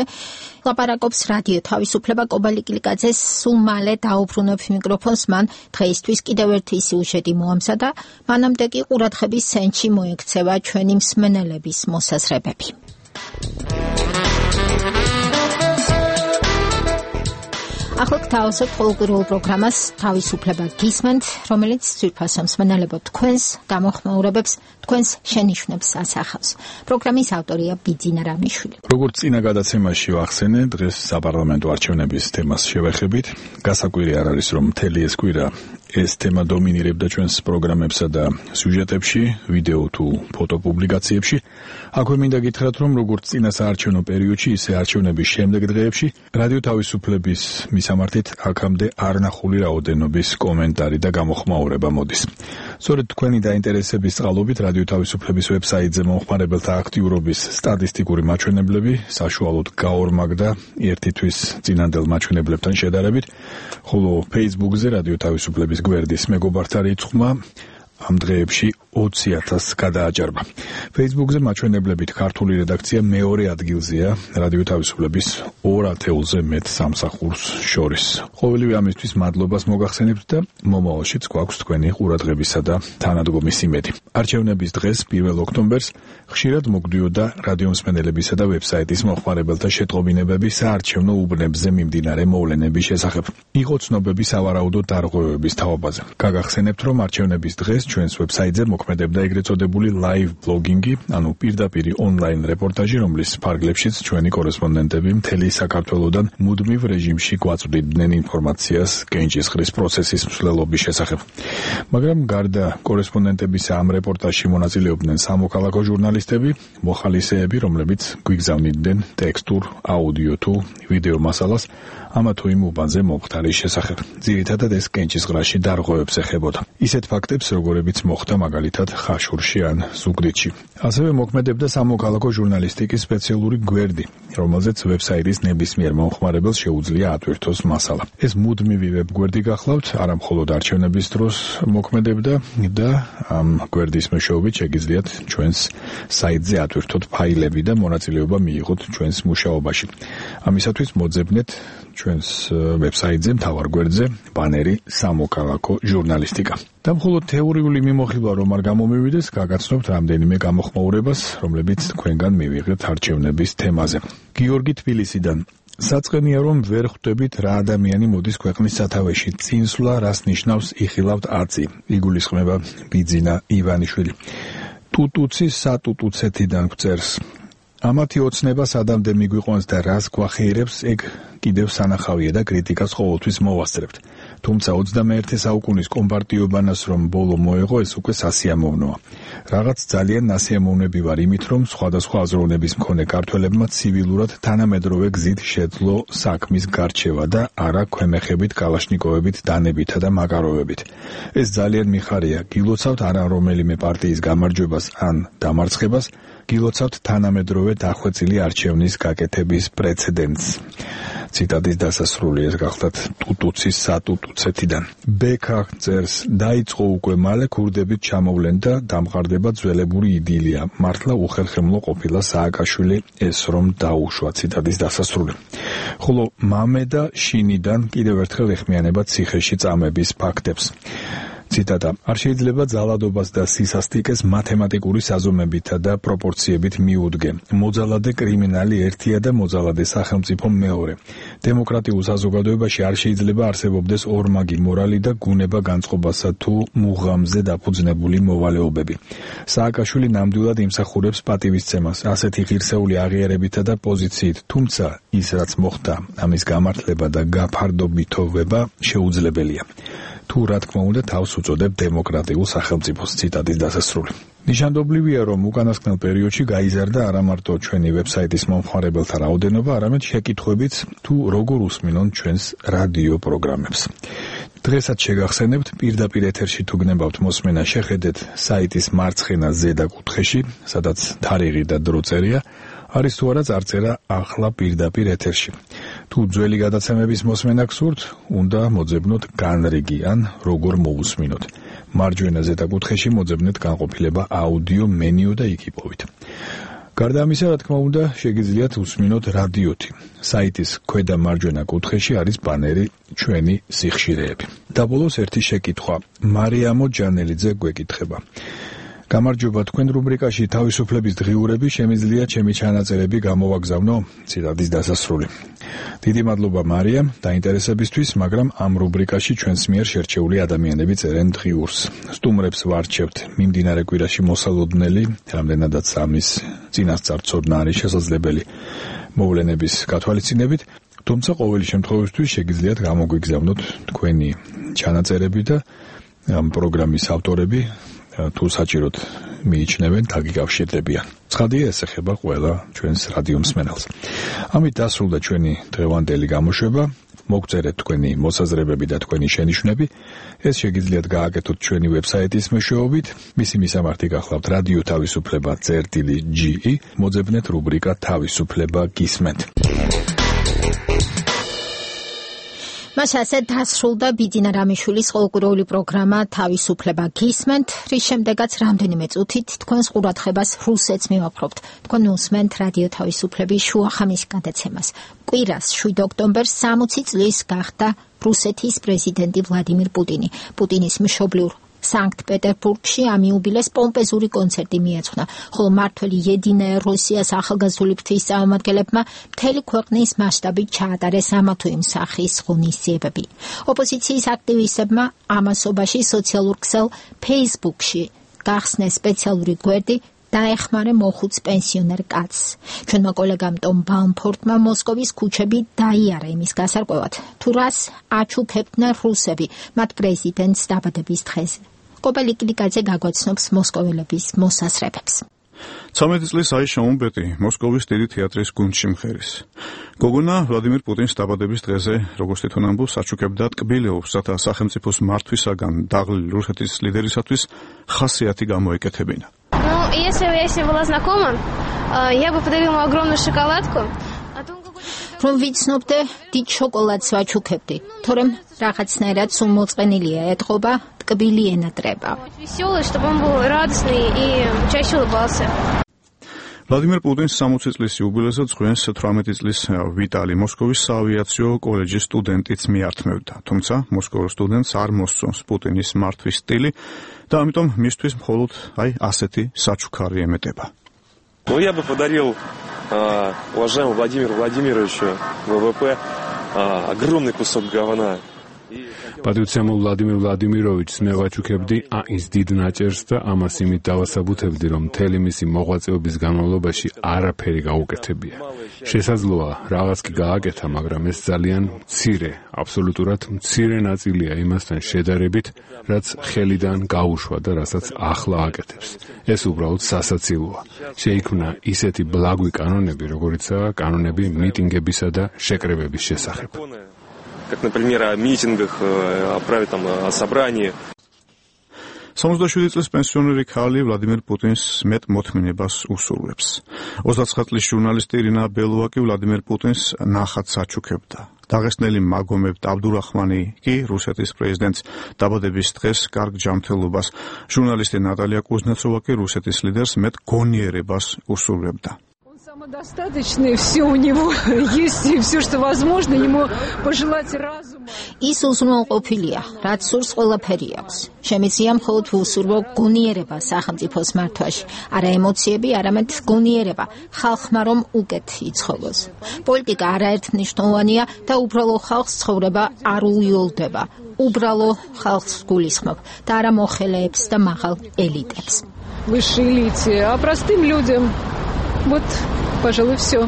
Speaker 1: ლაპარაკობს რადიო თავისუფლება. კობალი კლიკაძეს სულ მალე დაუბრუნებს მიკროფონს, მან დღეისთვის კიდევ ერთი სიუჟეტი მოამზადა, მანამდე კი ყურადღების ცენტრში მოექცევა ჩვენი მსმენელების მოსაზრებები. ახლა გთავაზობთ ყოლკურულ პროგრამას თავისუფლება გისმენთ, რომელიც ძვირფასო მსმენელებო თქვენს გამოხმაურებებს, თქვენს შენიშვნებს ასახავს. პროგრამის ავტორია ბიძინა რამიშვილი.
Speaker 16: როგორც წინა გადაცემაში ვახსენე, დღეს საპარლამენტო არჩევნების თემას შევეხებით. გასაკვირი არ არის, რომ მთელი ეს კვირა ეს თემა დომინირებდა ჩვენს პროგრამებსა და სიუჟეტებში, ვიდეო თუ ფოტო პუბლიკაციებში. აქვე მინდა გითხრათ, რომ როგორც წინა საარჩევნო პერიოდში, ისე არჩევნების შემდეგ დღეებში რადიო თავისუფლების მისამართით აქამდე არნახული რაოდენობის კომენტარი და გამოხმაურება მოდის. სწორედ თქვენი დაინტერესების წყალობით რადიო თავისუფლების ვებსაიტზე მომხმარებელთა აქტიურობის სტატისტიკური მაჩვენებლები საშუალოდ გაორმაგდა ერთი თვის წინანდელ მაჩვენებლებთან შედარებით, ხოლო Facebook-ზე რადიო თავისუფლების გვერდის მეგობართა რიცხვმა ამ დღეებში 20,000 გადააჭარბა. Facebook-ზე მაჩვენებლებით ქართული რედაქცია მეორე ადგილზეა რადიო თავისუფლების 2 ათეულზე მეტ სამსახურს შორის. ყოველივე ამისთვის მადლობას მოგახსენებთ და მომავალშიც გვაქვს თქვენი ყურადღებისა და თანადგომის იმედი. არჩევნების დღეს 1 ოქტომბერს ხშირად მოგდიოდა რადიომსმენელებისა და ვებსაიტის მოხმარებელთა შეტყობინებები საარჩევნო უბნებზე მიმდინარე მოვლენების შესახებ. იყო ცნობები სავარაუდო დარღვევების თაობაზე. გაგახსენებთ, რომ არჩევნების დღეს ჩვენს ვებსაიტზე მოქმედებდა ეგრეთ წოდებული live blogging-ი, ანუ პირდაპირი ონლაინ რეპორტაჟი, რომლის ფარგლებშიც ჩვენი კორესპონდენტები მთელი საქართველოდან მუდმივ რეჟიმში გვაწვდიდნენ ინფორმაციას კენჭისყრის პროცესის მსვლელობის შესახებ. მაგრამ გარდა კორესპონდენტებისა ამ რეპორტაჟში მონაწილეობდნენ სამოქალაქო ჟურნალისტები, მოხალისეები, რომლებიც გვიგზავნიდნენ ტექსტურ, აუდიო თუ ვიდეო მასალას ამა თუ იმ უბანზე მომხდარის შესახებ. ძირითადად ეს კენჭისყრაში დარღვევებს ეხებოდა. ისეთ ფაქტებს, როგორებიც მოხდა მაგალითად ხაშურში ან ზუგდიდში. ასევე მოქმედებდა სამოქალაქო ჟურნალისტიკის სპეციალური გვერდი, რომელზეც ვებსაიტის ნებისმიერ მომხმარებელს შეუძლია ატვირთოს მასალა. ეს მუდმივი ვებგვერდი გახლავთ, არა მხოლოდ არჩევნების დროს მოქმედებდა და ამ გვერდის მეშვეობით შეგიძლიათ ჩვენს საიტზე ატვირთოთ ფაილები და მონაწილეობა მიიღოთ ჩვენს მუშაობაში. ამისათვის მოძებნეთ ჩვენს ვებსაიტზე მთავარ გვერდზე ბანერი სამოქალაქო ჟურნალისტიკა. და მხოლოდ თეორიული მიმოხილვა რომ არ გამომივიდეს, გაგაცნობთ რამდენიმე გამოხმაურებას, რომლებიც თქვენგან მივიღეთ არჩევნების თემაზე. გიორგი თბილისიდან. საწყენია რომ ვერ ხვდებით რა ადამიანი მოდის ქვეყნის სათავეში. წინსვლა რას ნიშნავს იხილავთ აწი. იგულისხმება ბიძინა ივანიშვილი. ტუტუცის სატუტუცეთიდან გვწერს. ამათი ოცნება სადამდე მიგვიყვანს და რას გვახეირებს, ეგ კიდევ სანახავია და კრიტიკას ყოველთვის მოვასწრებთ. თუმცა 21 საუკუნის კომპარტიობანას რომ ბოლო მოეღო, ეს უკვე სასიამოვნოა. რაღაც ძალიან ნასიამოვნები ვარ იმით, რომ სხვადასხვა აზროვნების მქონე ქართველებმა ცივილურად თანამედროვე გზით შეძლო საქმის გარჩევა და არა ქვემეხებით, კალაშნიკოვებით, დანებითა და მაკაროვებით. ეს ძალიან მიხარია. გილოცავთ არა რომელიმე პარტიის გამარჯვებას ან დამარცხებას, გილოცავთ თანამედროვე დახვეწილი არჩევნის გაკეთების პრეცედენტს. ციტატის დასასრული ეს გახლავთ ტუტუცის სატუტუცეთიდან. ბექა წერს, დაიწყო უკვე მალე ქურდებით ჩამოვლენ და დამყარდება ძველებური იდილია. მართლა უხერხემლო ყოფილა სააკაშვილი ეს რომ დაუშვა. ციტატის დასასრული. ხოლო მამე და შინიდან კიდევ ერთხელ ეხმიანება ციხეში წამების ფაქტებს. ციტატა: არ შეიძლება ძალადობას და სისასტიკეს მათემატიკური საზომებითა და პროპორციებით მიუდგე. მოძალადე კრიმინალი ერთია და მოძალადე სახელმწიფო მეორე. დემოკრატიულ საზოგადოებაში არ შეიძლება არსებობდეს ორმაგი მორალი და გუნება განწყობასა თუ მუღამზე დაფუძნებული მოვალეობები. სააკაშვილი ნამდვილად იმსახურებს პატივისცემას, ასეთი ღირსეული აღიარებითა და პოზიციით, თუმცა ის რაც მოხდა, ამის გამართლება და გაფარდობითოვება შეუძლებელია. თუ რა თქმა უნდა თავს უწოდებ დემოკრატიულ სახელმწიფოს. ციტატის დასასრული. ნიშანდობლივია, რომ უკანასკნელ პერიოდში გაიზარდა არა მარტო ჩვენი ვებსაიტის მომხმარებელთა რაოდენობა, არამედ შეკითხვებიც თუ როგორ უსმინონ ჩვენს რადიო პროგრამებს. დღესაც შეგახსენებთ, პირდაპირ ეთერში თუ გნებავთ მოსმენა, შეხედეთ საიტის მარცხენა ზედა კუთხეში, სადაც თარიღი და დრო წერია, არის თუ არა წარწერა ახლა პირდაპირ ეთერში. თუ ძველი გადაცემების მოსმენა გსურთ, უნდა მოძებნოთ განრიგი ან როგორ მოусმინოთ. მარჯვენა ზედა კუთხეში მოძებნეთ განყოფილება აუდიო მენიუ და იქ იპოვით. გარდა ამისა, რა თქმა უნდა, შეგიძლიათ უსმინოთ რადიოთი. საიტის ქვედა მარჯვენა კუთხეში არის ბანერი ჩვენი სიხშირეები. და ბოლოს ერთი შეკითხვა. მარიამო ჯანელიძე გვეკითხება: გამარჯობა, თქვენ რუბრიკაში თავისუფლების დღიურები შემიძლია ჩემი ჩანაწერები გამოვაგზავნო? ციტატის დასასრული. დიდი მადლობა მარიამ დაინტერესებისთვის, მაგრამ ამ რუბრიკაში ჩვენს მიერ შერჩეული ადამიანები წერენ დღიურს. სტუმრებს ვარჩევთ მიმდინარე კვირაში მოსალოდნელი, რამდენადაც ამის წინასწარ-ცოდნა არის შესაძლებელი მოვლენების გათვალისწინებით, თუმცა ყოველი შემთხვევისთვის შეგიძლიათ გამოგვიგზავნოთ თქვენი ჩანაწერები და ამ პროგრამის ავტორები თუ საჭიროდ მიიჩნევენ, დაგიკავშირდებიან. ცხადია, ეს ეხება ყველა ჩვენს რადიო მსმენელს. ამით დასრულდა ჩვენი დღევანდელი გამოშვება. მოგწერეთ თქვენი მოსაზრებები და თქვენი შენიშვნები. ეს შეგიძლიათ გააკეთოთ ჩვენი ვებსაიტის მეშვეობით. მისი მისამართი გახლავთ რადიო თავისუფლება წერტილი.ge. მოძებნეთ რუბრიკა თავისუფლება გისმენთ.
Speaker 1: მას ასე დასრულდა ბიძინა რამიშვილის ყოლკურეული პროგრამა თავისუფლება გისმენთ, რის შემდეგაც რამდენიმე წუთით თქვენს ყურადღებას რუსეთს მივაპყრობთ. თქვენ უსმენთ რადიო თავისუფლების შუახამის გადაცემას. კვირას 7 ოქტომბერს 60 წლის გახდა რუსეთის პრეზიდენტი ვლადიმირ პუტინი. პუტინის მშობლიურ სანქტ-პეტერბურგში ამ იუბილეს პომპეზური კონცერტი მიეძღვნა, ხოლო მართველი Единая Россияс ახალგაზრდული ფრთის წარმომადგენლებმა მთელი ქვეყნის მასშტაბით ჩაატარეს ამა თუ იმ სახის ღონისძიებები. ოპოზიციის აქტივისტებმა ამასობაში სოციალურ ქსელ Facebook-ში გახსნეს სპეციალური გვერდი დაეხმარე მოხუც პენსიონერ კაცს. ჩვენმა კოლეგამ ტომ ბაუმფორტმა მოსკოვის ქუჩები დაიარა იმის გასარკვევად, თუ რას აჩუქებდნენ რუსები მათ პრეზიდენტს დაბადების დღეზე. კობელი კლიკაძე გაგვაცნობს მოსკოველების მოსასრებებს.
Speaker 6: 13 წლის აიშა უმბეტი მოსკოვის დიდი თეატრის გუნდში მღერის. გოგონა ვლადიმირ პუტინის დაბადების დღეზე, როგორც თვითონ ამბობს, აჩუქებდა ტკბილეობს, რათა სახელმწიფოს მართვისაგან დაღლილი რუსეთის ლიდერისათვის ხასიათი გამოეკეთებინა.
Speaker 17: Если бы я с ним была знакома, я бы подарила ему огромную шоколадку.
Speaker 1: Რომ ვიცნობდე, დიდ შოკოლადს ვაჩუქებდი, თორემ რაღაცნაირად სულ მოწყენილია ეთყობა, ტკბილი ენატრება.
Speaker 17: Веселый, чтобы он был радостный и чаще улыбался.
Speaker 6: ვლადიმირ პუტინის 60 წლის იუბილეზე წვენს 18 წლის ვიტალი მოსკოვის საავიაციო კოლეჯის სტუდენტიც მიართმევდა. თუმცა მოსკოვის სტუდენტს არ მოსწონს პუტინის მართვის სტილი და ამიტომ მისთვის მხოლოდ ასეთი საჩუქარი ემეტება.
Speaker 18: Ну я бы подарил уважаемому Владимиру Владимировичу ВВП огромный кусок говна.
Speaker 19: პატრიციამ ვლადიმირ ვლადიმიროვიჩს მე ვაჩუქებდი ის დიდ ნაჭერს და ამას იმით დავასაბუთებდი, რომ მთელი მისი მოღვაწეობის განმავლობაში არაფერი გაუკეთებია. შესაძლოა რაღაც კი გააკეთა, მაგრამ ეს ძალიან მცირე, აბსოლუტურად მცირე ნაწილია იმასთან შედარებით, რაც ხელიდან გაუშვა და რასაც ახლა აკეთებს. ეს უბრალოდ სასაცილოა. შეიქმნა ისეთი ბლაგვი კანონები, როგორიცაა კანონები მიტინგებისა და შეკრებების შესახებ.
Speaker 18: Как, например, о митингах, о праве там о собрании.
Speaker 6: 67 წლის პენსიონერი ქალი ვლადიმირ პუტინს მეტ მოთმინებას უსურვებს. 29 წლის ჟურნალისტი ირინა ბელოვა კი ვლადიმირ პუტინს ნახატს აჩუქებდა. დაღესტნელი მაგომებ აბდურახმანი კი რუსეთის პრეზიდენტს დაბადების დღეს კარგ ჯანმრთელობას, ჟურნალისტი ნატალია კუზნეცოვა კი რუსეთის ლიდერს მეტ გონიერებას უსურვებდა.
Speaker 20: Самодостаточный, все у него есть, и все, что возможно, ему пожелать разума.
Speaker 1: ის უზრუნველყოფილია, რაც სურს ყველაფერი აქვს. შემიძლია მხოლოდ უსურვო გონიერება სახელმწიფოს მართვაში, არა ემოციები, არამედ გონიერება ხალხმა რომ უკეთ იცხოვოს. პოლიტიკა არაერთმნიშვნელოვანია და უბრალო ხალხს ცხოვრება არ უიოლდება. უბრალო ხალხს გულისხმობ და არა მოხელეებს და მაღალ ელიტებს.
Speaker 20: Высшей элите, а простым людям вот, пожалуй, все.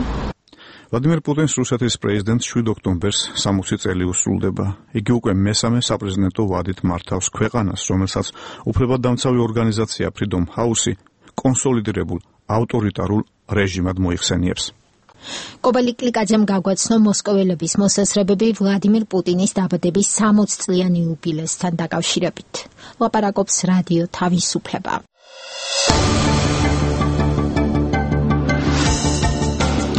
Speaker 6: ვლადიმირ პუტინს რუსეთის პრეზიდენტს 7 ოქტომბერს 60 წელი უსრულდება. იგი უკვე მესამე საპრეზიდენტო ვადით მართავს ქვეყანას, რომელსაც უფლებადამცავი ორგანიზაცია Freedom House კონსოლიდირებულ ავტორიტარულ რეჟიმად მოიხსენიებს.
Speaker 1: კობელი კლიკაძემ გაგვაცნო მოსკოველების მოსასრებები ვლადიმირ პუტინის დაბადების 60 წლიანი იუბილესთან დაკავშირებით. ლაპარაკობს რადიო თავისუფლება.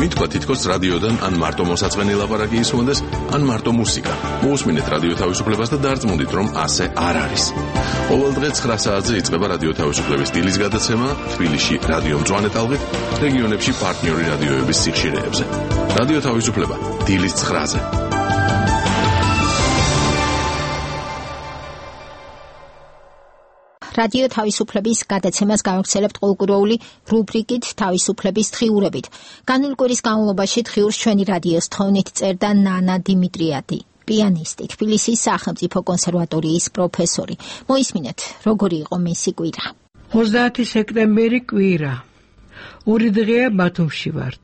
Speaker 15: მითქვა თითქოს რადიოდან ან მარტო მოსაწყენი ლაპარაკი ისმენდეს, ან მარტო მუსიკა. მოусმინეთ რადიო თავისუფლებას და დარწმუნდით, რომ ასე არ არის. ყოველ დღე 9 საათზე იწყება რადიო თავისუფლების დილის გადაცემა თბილისში რადიო მწვანე ტალღით, რეგიონებში პარტნიორი რადიოების სიხშირეებზე. რადიო თავისუფლება დილის 9-ზე.
Speaker 1: რადიო თავისუფლების გადაცემას გავაგრძელებთ ყოლკურეული რუბრიკით თავისუფლების დღიურებით. განული კვირის განმავლობაში დღიურს ჩვენი რადიოს თხოვნით წერდა ნანა დიმიტრიადი, პიანისტი, თბილისის სახელმწიფო კონსერვატორიის პროფესორი. მოისმინეთ, როგორი იყო მისი კვირა.
Speaker 8: 30 სექტემბერი კვირა. ორი დღეა ბათუმში ვართ.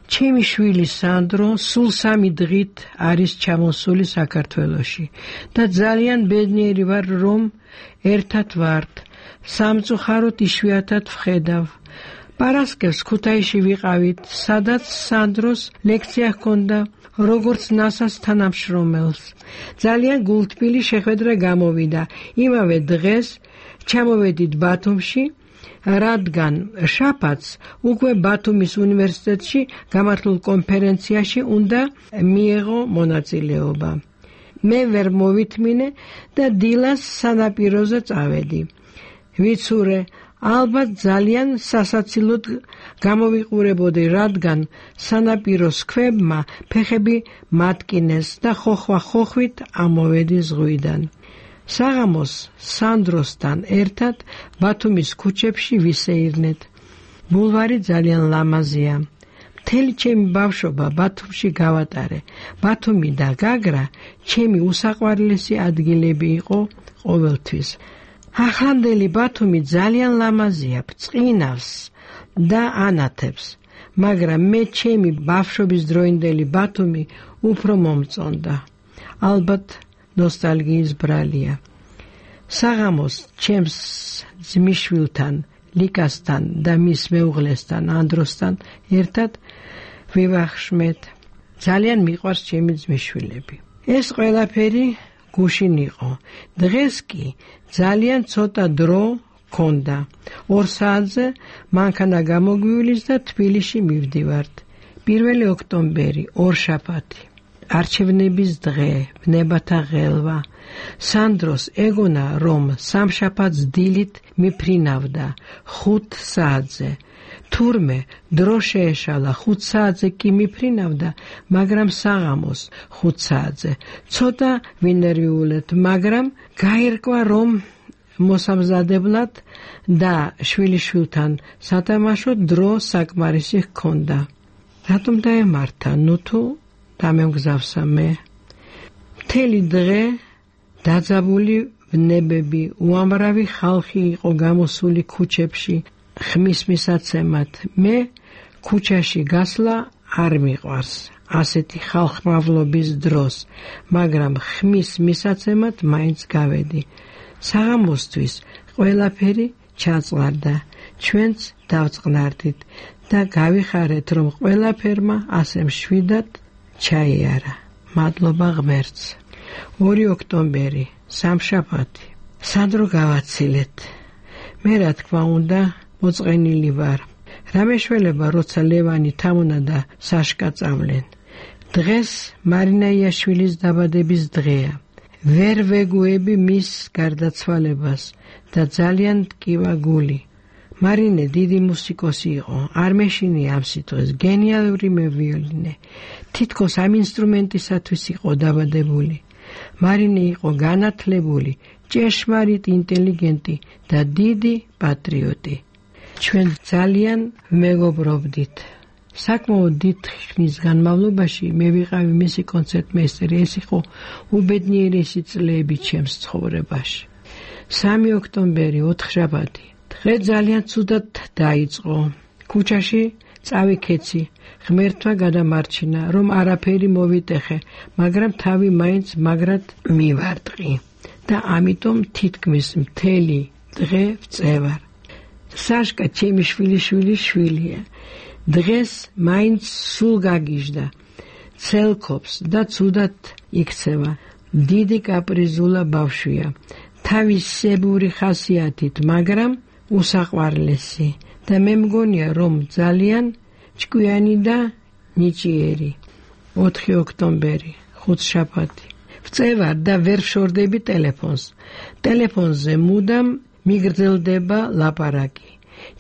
Speaker 8: ჩემი შვილი სანდრო სულ 3 დღით არის ჩამოსული საქართველოში და ძალიან ბედნიერი ვარ, რომ ერთად ვართ. სამწუხაროდ იშვიათად ვხედავ. პარასკევს ქუთაისში ვიყავით, სადაც სანდროს ლექცია ჰქონდა, როგორც ნასას თანამშრომელს. ძალიან გულთბილი შეხვედრა გამოვიდა. იმავე დღეს ჩამოვედით ბათუმში, რადგან შაბათს უკვე ბათუმის უნივერსიტეტში გამართულ კონფერენციაში უნდა მიეღო მონაწილეობა. მე ვერ მოვითმინე და დილას სანაპიროზე წავედი. ვიცურე, ალბათ ძალიან სასაცილოდ გამოვიყურებოდი, რადგან სანაპიროს ქვებმა ფეხები მატკინეს და ხოხვა-ხოხვით ამოვედი ზღვიდან. საღამოს სანდროსთან ერთად ბათუმის ქუჩებში ვისეირნეთ. ბულვარი ძალიან ლამაზია. მთელი ჩემი ბავშვობა ბათუმში გავატარე. ბათუმი და გაგრა ჩემი უსაყვარლესი ადგილები იყო ყოველთვის. ახლანდელი ბათუმი ძალიან ლამაზია, ბრწყინავს და ანათებს, მაგრამ მე ჩემი ბავშვობის დროინდელი ბათუმი უფრო მომწონდა. ალბათ ნოსტალგიის ბრალია. საღამოს ჩემს ძმისშვილთან, ლიკასთან და მის მეუღლესთან, ანდროსთან ერთად ვივახშმეთ. ძალიან მიყვარს ჩემი ძმისშვილები. ეს ყველაფერი გუშინ იყო. დღეს კი ძალიან ცოტა დრო ქონდა. 2 საათზე მანქანა გამოგვივლის და თბილისში მივდივართ. 1 ოქტომბერი, ორშაბათი. არჩევნების დღე, ვნებათა ღელვა. სანდროს ეგონა, რომ სამშაბათს დილით მიფრინავდა 5 საათზე. თურმე დრო შეეშალა 5 საათზე კი მიფრინავდა, მაგრამ საღამოს 5 საათზე. ცოტა ვინერვიულეთ, მაგრამ გაირკვა, რომ მოსამზადებლად და შვილიშვილთან სათამაშოდ დრო საკმარისი ჰქონდა. რატომ დაემართა? ნუ თუ დამემგზავსა მე. მთელი დღე დაძაბული ვნებები, უამრავი ხალხი იყო გამოსული ქუჩებში ხმის მისაცემად. მე ქუჩაში გასვლა არ მიყვარს ასეთი ხალხმრავლობის დროს, მაგრამ ხმის მისაცემად მაინც გავედი. საღამოსთვის ყველაფერი ჩაწყარდა, ჩვენც დავწყნარდით და გავიხარეთ, რომ ყველაფერმა ასე მშვიდად ჩაიარა. მადლობა ღმერთს. 2 ოქტომბერი, სამშაბათი. სანდრო გავაცილეთ. მე რა თქმა უნდა მოწყენილი ვარ. რამეშველება, როცა ლევანი თამუნა და საშკა წავლენ. დღეს მარინა იაშვილის დაბადების დღეა. ვერ ვეგუები მის გარდაცვალებას და ძალიან ტკივა გული. მარინე დიდი მუსიკოსი იყო, არ მეშინია ამ სიტყვას, გენიალური მევიოლინე. თითქოს ამ ინსტრუმენტისათვის იყო დაბადებული. მარინე იყო განათლებული, ჭეშმარიტ ინტელიგენტი და დიდი პატრიოტი. ჩვენ ძალიან მეგობრობდით. საკმაოდ დიდ ხნის განმავლობაში მე ვიყავი მისი კონცერტმეისტერი. ეს იყო უბედნიერესი წლები ჩემს ცხოვრებაში. 3 ოქტომბერი, ოთხშაბათი. დღე ძალიან ცუდად დაიწყო. ქუჩაში წავიქეცი. ღმერთმა გადამარჩინა, რომ არაფერი მოვიტეხე, მაგრამ თავი მაინც მაგრად მივარტყი და ამიტომ თითქმის მთელი დღე ვწევარ. საშკა ჩემი შვილია. დღეს მაინც სულ გაგიჟდა, ცელქობს და ცუდად იქცევა. დიდი კაპრიზულა ბავშვია, თავისებური ხასიათით, მაგრამ უსაყვარლესი და მე მგონია, რომ ძალიან ჭკვიანი და ნიჭიერი. 4 ოქტომბერი, ხუთშაბათი. ვწევარ და ვერ ვშორდები ტელეფონს. ტელეფონზე მუდამ მიგრძელდება ლაპარაკი.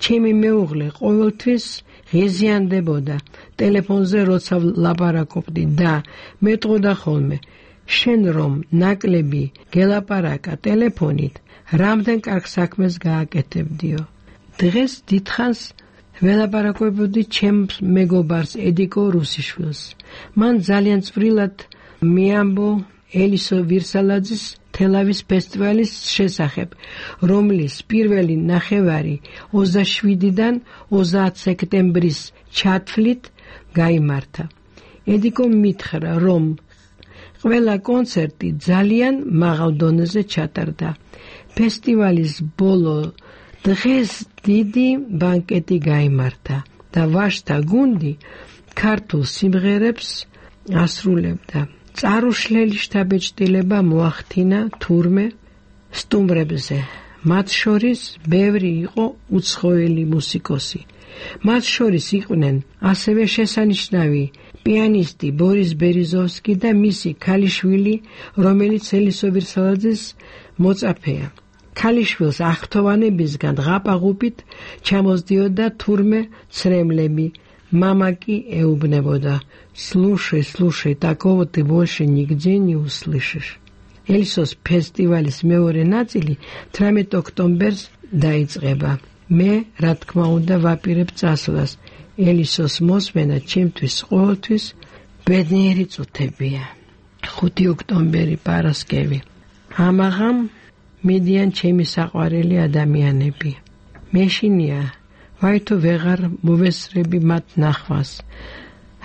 Speaker 8: ჩემი მეუღლე ყოველთვის ღიზიანდებოდა ტელეფონზე, როცა ლაპარაკობდი და მეტყოდა ხოლმე, შენ რომ ნაკლები გელაპარაკა ტელეფონით, რამდენ კარგ საქმეს გააკეთებდიო. დღეს დიდხანს ველაპარაკობდი ჩემს მეგობარს ედიკო რუსიშვილს. მან ძალიან წვრილად მიამბო ელისო ვირსალაძის თელავის ფესტივალის შესახებ, რომლის პირველი ნახევარი 27-დან 30 სექტემბრის ჩათვლით გაიმართა. ედიკო მითხრა, რომ ყველა კონცერტი ძალიან მაღალ დონეზე ჩატარდა. ფესტივალის ბოლო დღეს დიდი ბანკეტი გაიმართა და ვაჟთა გუნდი ქართულ სიმღერებს ასრულებდა. წარუშლელი შთაბეჭდილება მოახდინა თურმე სტუმრებზე. მათ შორის ბევრი იყო უცხოელი მუსიკოსი. მათ შორის იყვნენ ასევე შესანიშნავი პიანისტი ბორის ბერიზოვსკი და მისი ქალიშვილი, რომელიც ელისოვირ სალაძის მოწაფეა. ქალიშვილს აღფრთოვანებისგან ღაპაღუპით ჩამოსდიოდა თურმე ცრემლები. Мама ки ეუბნებოდა: Слушай, слушай, такого ты больше нигде не услышишь. ელისოს ფესტივალის მეორე ნაწილი 18 ოქტომბერს დაიწყება. მე, რა თქმა უნდა, ვაპირებ წასვლას. ელისოს მოსმენა ჩემთვის ყოველთვის ბედნიერი წუთებია. 5 ოქტომბერი პარასკევი. ამაღამ მიდიან ჩემი საყვარელი ადამიანები. მეშინია ვაითო ვეღარ მოვესწრები მათ ნახვას.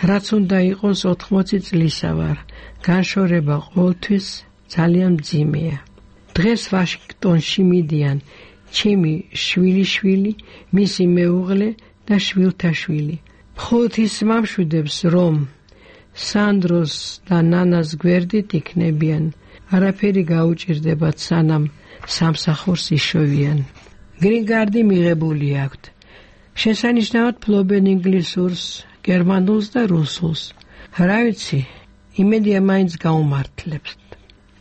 Speaker 8: რაც უნდა იყოს 80 წლისა ვარ. განშორება ყოველთვის ძალიან მძიმეა. დღეს ვაშინგტონში მიდიან ჩემი შვილიშვილი, მისი მეუღლე და შვილთაშვილი. მხოლოდ ის მამშვიდებს, რომ სანდროს და ნანას გვერდით იქნებიან. არაფერი გაუჭირდებათ, სანამ სამსახურს იშოვიან. გრინ-კარდი მიღებული აქვთ. შესანიშნავად ფლობენ ინგლისურს, გერმანულს და რუსულს. რა ვიცი, იმედია მაინც გაუმართლებთ.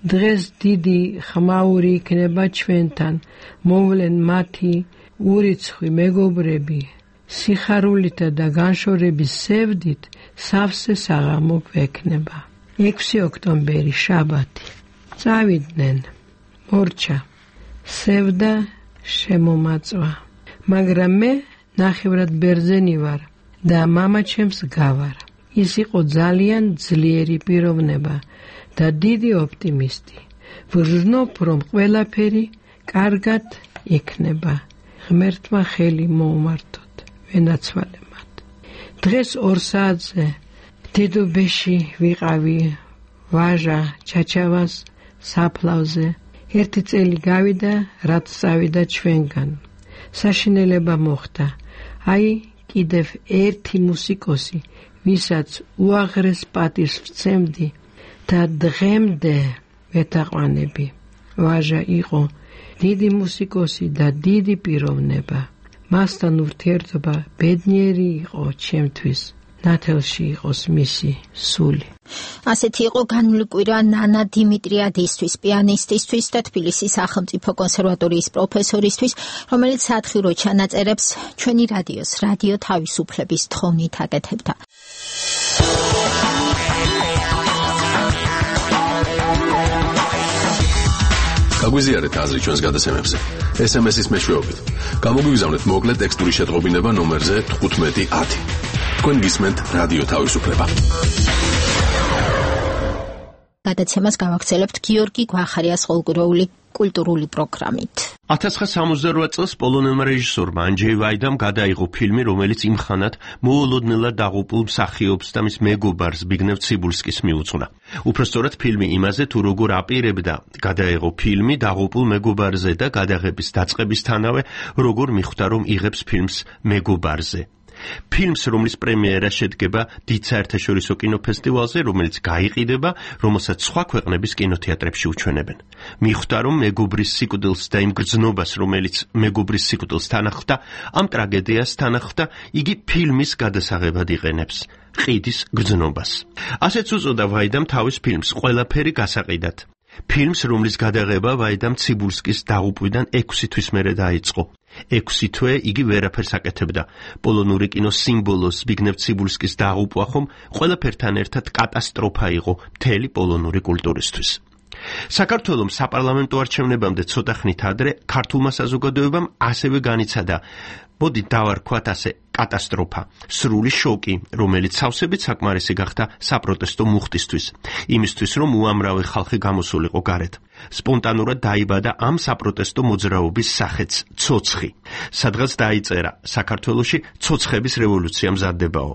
Speaker 8: დღეს დიდი ხმაური იქნება ჩვენთან, მოვლენ მათი ურიცხვი მეგობრები, სიხარულითა და განშორების სევდით სავსე საღამო გვექნება. 6 ოქტომბერი შაბათი. წავიდნენ. მორჩა. სევდა შემომაწვა. მაგრამ მე ნახევრად ბერძენი ვარ და მამა ჩემს გავარ. ის იყო ძალიან ძლიერი პიროვნება და დიდი ოპტიმისტი. ვჟნობ, რომ ყველაფერი კარგად იქნება. ღმერთმა ხელი მოუმართოთ, ვენაცვალებად. დღეს 2 საათზე დედობეში ვიყავი ვაჟა ჩაჩავას საფლავზე. 1 წელი გავიდა, რაც წავიდა ჩვენგან. საშინელება მოხდა. აი, კიდევ ერთი მუსიკოსი, ვისაც უაღრეს პატივს ვცემდი და დღემდე ვეთაყვანები. ვაჟა იყო დიდი მუსიკოსი და დიდი პიროვნება. მასთან ურთიერთობა ბედნიერი იყო ჩემთვის. ნათელში იყოს მისი სული.
Speaker 1: ასეთი იყო განვლი კვირა ნანა დიმიტრიადისთვის, პიანისტისთვის და თბილისის სახელმწიფო კონსერვატორიის პროფესორისთვის, რომელიც სათხირო ჩანაწერებს ჩვენი რადიოს, რადიო თავისუფლების თხოვნით აკეთებდა.
Speaker 15: გაგვიზიარეთ აზრი ჩვენს გადაცემებზე. SMS-ის მეშვეობით. გამოგვიგზავნეთ მოკლე ტექსტური შეტყობინება ნომერზე 1510. თქვენ გისმენთ რადიო თავისუფლება.
Speaker 1: გადაცემას გავაგრძელებთ გიორგი გვახარიას ყოველკვირეული კულტურული პროგრამით.
Speaker 21: 1968 წელს პოლონელმა რეჟისორმა ანჯეი ვაიდამ გადაიღო ფილმი, რომელიც იმხანად მოულოდნელად დაღუპულ მსახიობს და მის მეგობარს ზბიგნევ ციბულსკის მიუძღვნა. უпростоრად ფილმი იმაზე, თუ როგორ აპირებდა გადაიღო ფილმი დაღუპულ მეგობარზე და გადაღების დაწყებისთანავე როგორ მიხვდა, რომ იღებს ფილმს მეგობარზე. ფილმს, რომლის პრემიერა შედგება დიდ საერთაშორისო კინოფესტივალზე, რომელიც გაიყიდება, რომელსაც სხვა ქვეყნების კინოთეატრებში უჩვენებენ. მიხვდა, რომ მეგობრის სიკვდილს და იმ გრძნობას, რომელიც მეგობრის სიკვდილს თანახმდა, ამ ტრაგედიას თანახმდა, იგი ფილმის გადასაღებად იყენებს. ყიდის გრძნობას. ასეც უწოდა ვაიდამ თავის ფილმს ყველაფერი გასაყიდად. ფილმს, რომლის გადაღება ვაიდამ ციბულსკის დაღუპვიდან 6 თვის მერე დაიწყო. 6 თვე იგი ვერაფერს აკეთებდა. პოლონური კინოს სიმბოლოს ზბიგნევ ციბულსკის დაღუპვა ხომ ყველაფერთან ერთად კატასტროფა იყო მთელი პოლონური კულტურისთვის. საქართველოს საპარლამენტო არჩევნებამდე ცოტა ხნით ადრე ქართულმა საზოგადოებამ ასევე განიცადა, მოდი დავარქვათ ასე, კატასტროფა, სრული შოკი, რომელიც სავსებით საკმარისი გახდა საპროტესტო მუხტისთვის, იმისთვის, რომ უამრავი ხალხი გამოსულიყო გარეთ. სპონტანურად დაიბადა ამ საპროტესტო მოძრაობის სახეც ცოცხი. სადღაც დაიწერა, საქართველოში ცოცხების რევოლუცია მზადდებაო.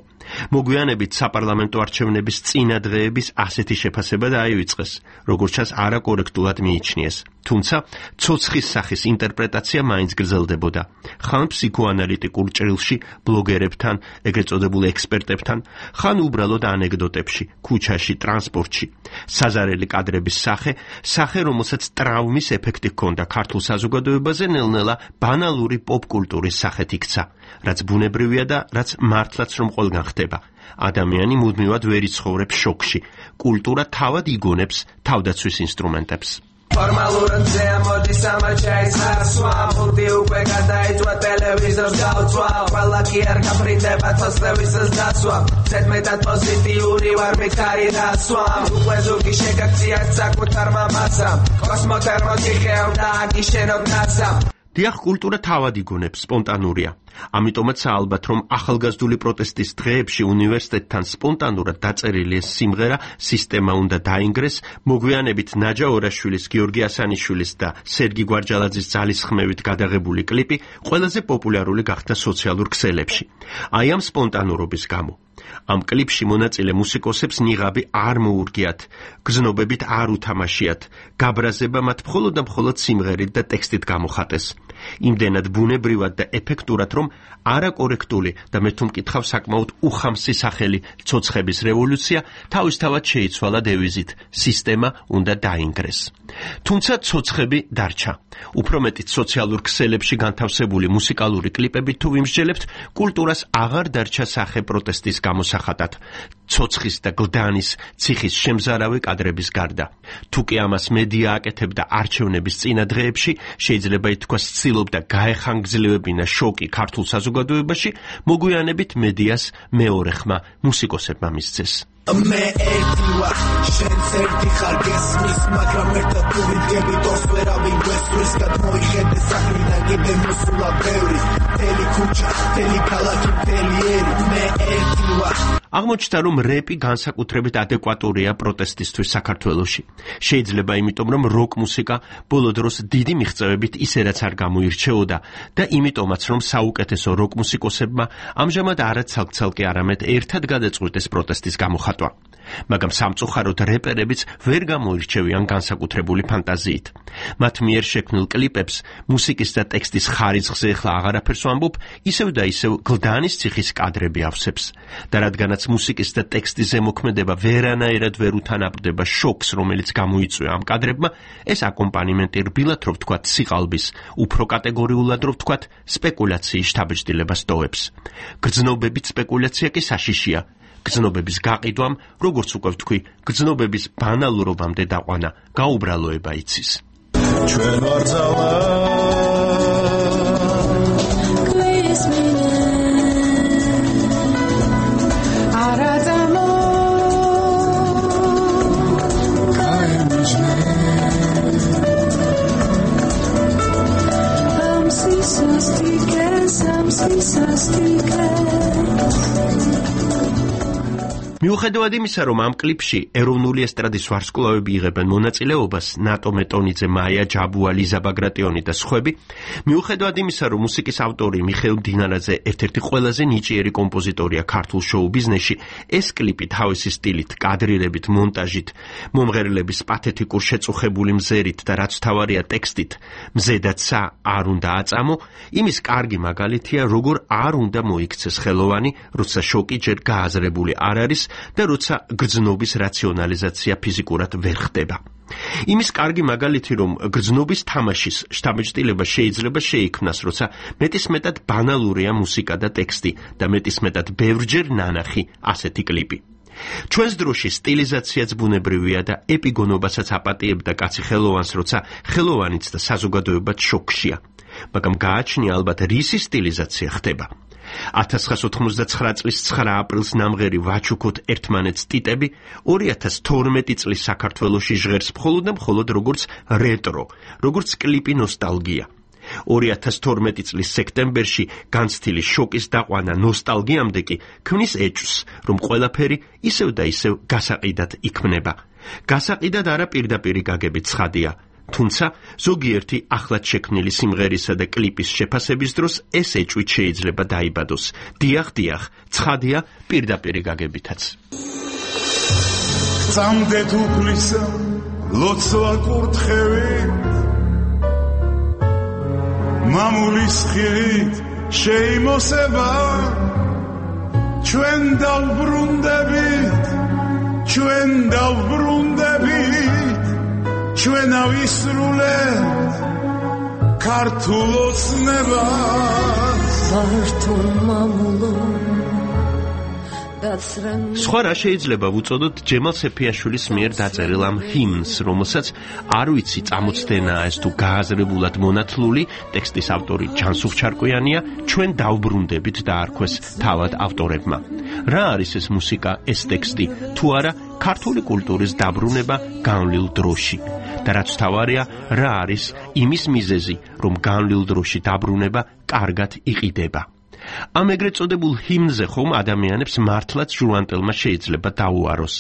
Speaker 21: მოგვიანებით საპარლამენტო არჩევნების წინა დღეების ასეთი შეფასება დაივიწყეს, როგორც ჩანს არაკორექტულად მიიჩნიეს. თუმცა ცოცხის სახის ინტერპრეტაცია მაინც გრძელდებოდა. ხან ფსიქოანალიტიკურ ჭრილში ბლოგერებთან, ეგრეთ წოდებულ ექსპერტებთან, ხან უბრალოდ ანეკდოტებში, ქუჩაში, ტრანსპორტში. საზარელი კადრების სახე, რომელსაც ტრავმის ეფექტი ჰქონდა ქართულ საზოგადოებაზე, ნელ-ნელა ბანალური პოპ კულტურის სახეთ იქცა, რაც ბუნებრივია და რაც მართლაც რომ ყველგან ხდება. ადამიანი მუდმივად ვერ იცხოვრებს შოკში. კულტურა თავად იგონებს თავდაცვის ინსტრუმენტებს.
Speaker 3: Formalură moდის ამაჩაის ხარსვა ფულტი უკვე გადაიწვა ტელევიზორს გავწვა ყველა კი არ გაფრინდება თოსლევისს დაცვა ზედმეტად პოზიტიური ვარ მითხარი დასვა უკვე ზურგი შეგაქცია საკუთარ მამასამ კოსმოთერმოსი ხევდა აგიშენოთ ნასა
Speaker 21: დიახ, კულტურა თავად იგონებს, სპონტანურია. ამიტომაც ალბათ, რომ ახალგაზრდული პროტესტის დღეებში უნივერსიტეტთან სპონტანურად დაწერილი ეს სიმღერა სისტემა უნდა დაინგრეს, მოგვიანებით ნაჯა ორაშვილის, გიორგი ასანიშვილის და სერგი გვარჯალაძის ძალისხმევით გადაღებული კლიპი ყველაზე პოპულარული გახდა სოციალურ ქსელებში. აი ამ სპონტანურობის გამო. ამ კლიპში მონაწილე მუსიკოსებს ნიღაბი არ მოურგიათ, გზნობებით არ უთამაშიათ, გაბრაზება მათ მხოლოდ და მხოლოდ სიმღერით და ტექსტით გამოხატეს. იმდენად ბუნებრივად და ეფექტურად, რომ არაკორექტული და მე თუ მკითხავ საკმაოდ უხამსი სახელი ცოცხების რევოლუცია თავისთავად შეიცვალა დევიზით სისტემა უნდა დაინგრეს. თუმცა ცოცხები დარჩა. უფრო მეტიც სოციალურ ქსელებში განთავსებული მუსიკალური კლიპები თუ ვიმსჯელებთ, კულტურას აღარ დარჩა სახე პროტესტის გამოსახატად. ცოცხის და გლდანის ციხის შემზარავი კადრების გარდა. თუ კი ამას მედია აკეთებდა არჩევნების წინა დღეებში, შეიძლება ითქვას ცდილობდა გაეხანგრძლივებინა შოკი ქართულ საზოგადოებაში, მოგვიანებით მედიას მეორე ხმა მუსიკოსებმა მისცეს.
Speaker 3: მე ერთი ვარ, შენც ერთი ხარ გესმის, მაგრამ ერთად თუ ვიდგები თორს ვერავინ გვესვრის, გადმოიხედე საქმიდან კიდე მოსულა ბევრი, მთელი ქუჩა, მთელი ქალაქი, მთელი ერი, მე ერთი ვარ.
Speaker 21: აღმოჩნდა, რომ რეპი განსაკუთრებით ადეკვატურია პროტესტისთვის საქართველოში. შეიძლება იმიტომ, რომ როკ მუსიკა ბოლო დროს დიდი მიღწევებით ისედაც არ გამოირჩეოდა და იმიტომაც, რომ საუკეთესო როკ მუსიკოსებმა ამჟამად არა ცალკ-ცალკე, არამედ ერთად გადაწყვიტეს პროტესტის გამოხატვა. მაგრამ სამწუხაროდ რეპერებიც ვერ გამოირჩევიან განსაკუთრებული ფანტაზიით. მათ მიერ შექმნილ კლიპებს მუსიკის და ტექსტის ხარისხზე ახლა აღარაფერს ვამბობ, ისევ და ისევ გლდანის ციხის კადრები ავსებს. და რადგანაც მუსიკის და ტექსტის ზემოქმედება ვერანაირად ვერ უთანაბრდება შოკს, რომელიც გამოიწვია ამ კადრებმა, ეს აკომპანიმენტი რბილად რო ვთქვათ სიყალბის, უფრო კატეგორიულად რო ვთქვათ სპეკულაციის შთაბეჭდილებას ტოვებს. გრძნობებით სპეკულაცია კი საშიშია. გრძნობების გაყიდვამ, როგორც უკვე ვთქვი, გრძნობების ბანალურობამდე დაყვანა, გაუბრალოება იცის.
Speaker 3: ჩვენ ვარ ძალა
Speaker 21: მიუხედავად იმისა, რომ ამ კლიპში ეროვნული ესტრადის ვარსკვლავები იღებენ მონაწილეობას, ნატო მეტონიძე, მაია ჯაბუა, ლიზა ბაგრატიონი და სხვები, მიუხედავად იმისა, რომ მუსიკის ავტორი მიხეილ მდინარაძე ერთ-ერთი ყველაზე ნიჭიერი კომპოზიტორია ქართულ შოუ-ბიზნესში, ეს კლიპი თავისი სტილით, კადრირებით, მონტაჟით, მომღერლების პათეტიკურ შეწუხებული მზერით და რაც თავარია ტექსტით, მზედაცა არ უნდა აწამო, იმის კარგი მაგალითია, როგორ არ უნდა მოიქცეს ხელოვანი, როცა შოკი ჯერ გააზრებული არ არის და როცა გრძნობის რაციონალიზაცია ფიზიკურად ვერ ხდება. იმის კარგი მაგალითი, რომ გრძნობის თამაშის შთაბეჭდილება შეიძლება შეიქმნას, როცა მეტისმეტად ბანალურია მუსიკა და ტექსტი და მეტისმეტად ბევრჯერ ნანახი ასეთი კლიპი. ჩვენს დროში სტილიზაციაც ბუნებრივია და ეპიგონობასაც აპატიებდა კაცი ხელოვანს, როცა ხელოვანიც და საზოგადოებაც შოკშია. მაგრამ გააჩნია ალბათ რისი სტილიზაცია ხდება. 1989 წლის 9 აპრილს ნამღერი ვაჩუქოთ ერთმანეთს ტიტები 2012 წლის საქართველოში ჟღერს მხოლოდ და მხოლოდ როგორც რეტრო, როგორც კლიპი ნოსტალგია. 2012 წლის სექტემბერში განცდილი შოკის დაყვანა ნოსტალგიამდე კი ქმნის ეჭვს, რომ ყველაფერი ისევ და ისევ გასაყიდად იქმნება. გასაყიდად არა პირდაპირი გაგებით ცხადია. თუმცა ზოგიერთი ახლად შექმნილი სიმღერისა და კლიპის შეფასების დროს ეს ეჭვით შეიძლება დაიბადოს. დიახ, ცხადია პირდაპირი გაგებითაც.
Speaker 22: წამდეთ უფლისა ლოცვა კურთხევით მამულის ხილით შეიმოსება ჩვენ დავბრუნდებით ჩვენ ავისრულებთ ქართულ ოცნებას
Speaker 23: ქართულ მამულო
Speaker 21: სხვა რა შეიძლება ვუწოდოთ ჯემალ სეფიაშვილის მიერ დაწერილ ამ ჰიმნს, რომელსაც არ ვიცი წამოწდენაა ეს თუ გააზრებულად მონათლული, ტექსტის ავტორი ჯანსუღ ჩარკვიანია, ჩვენ დავბრუნდებით და არქვეს თავად ავტორებმა. რა არის ეს მუსიკა, ეს ტექსტი, თუ არა ქართული კულტურის დაბრუნება განვლილ დროში. და რაც თავარია, რა არის იმის მიზეზი, რომ განვლილ დროში დაბრუნება კარგად იყიდება. ამ ეგრეთ წოდებულ ჰიმნზე ხომ ადამიანებს მართლაც ჟუანტელმა შეიძლება დაუაროს.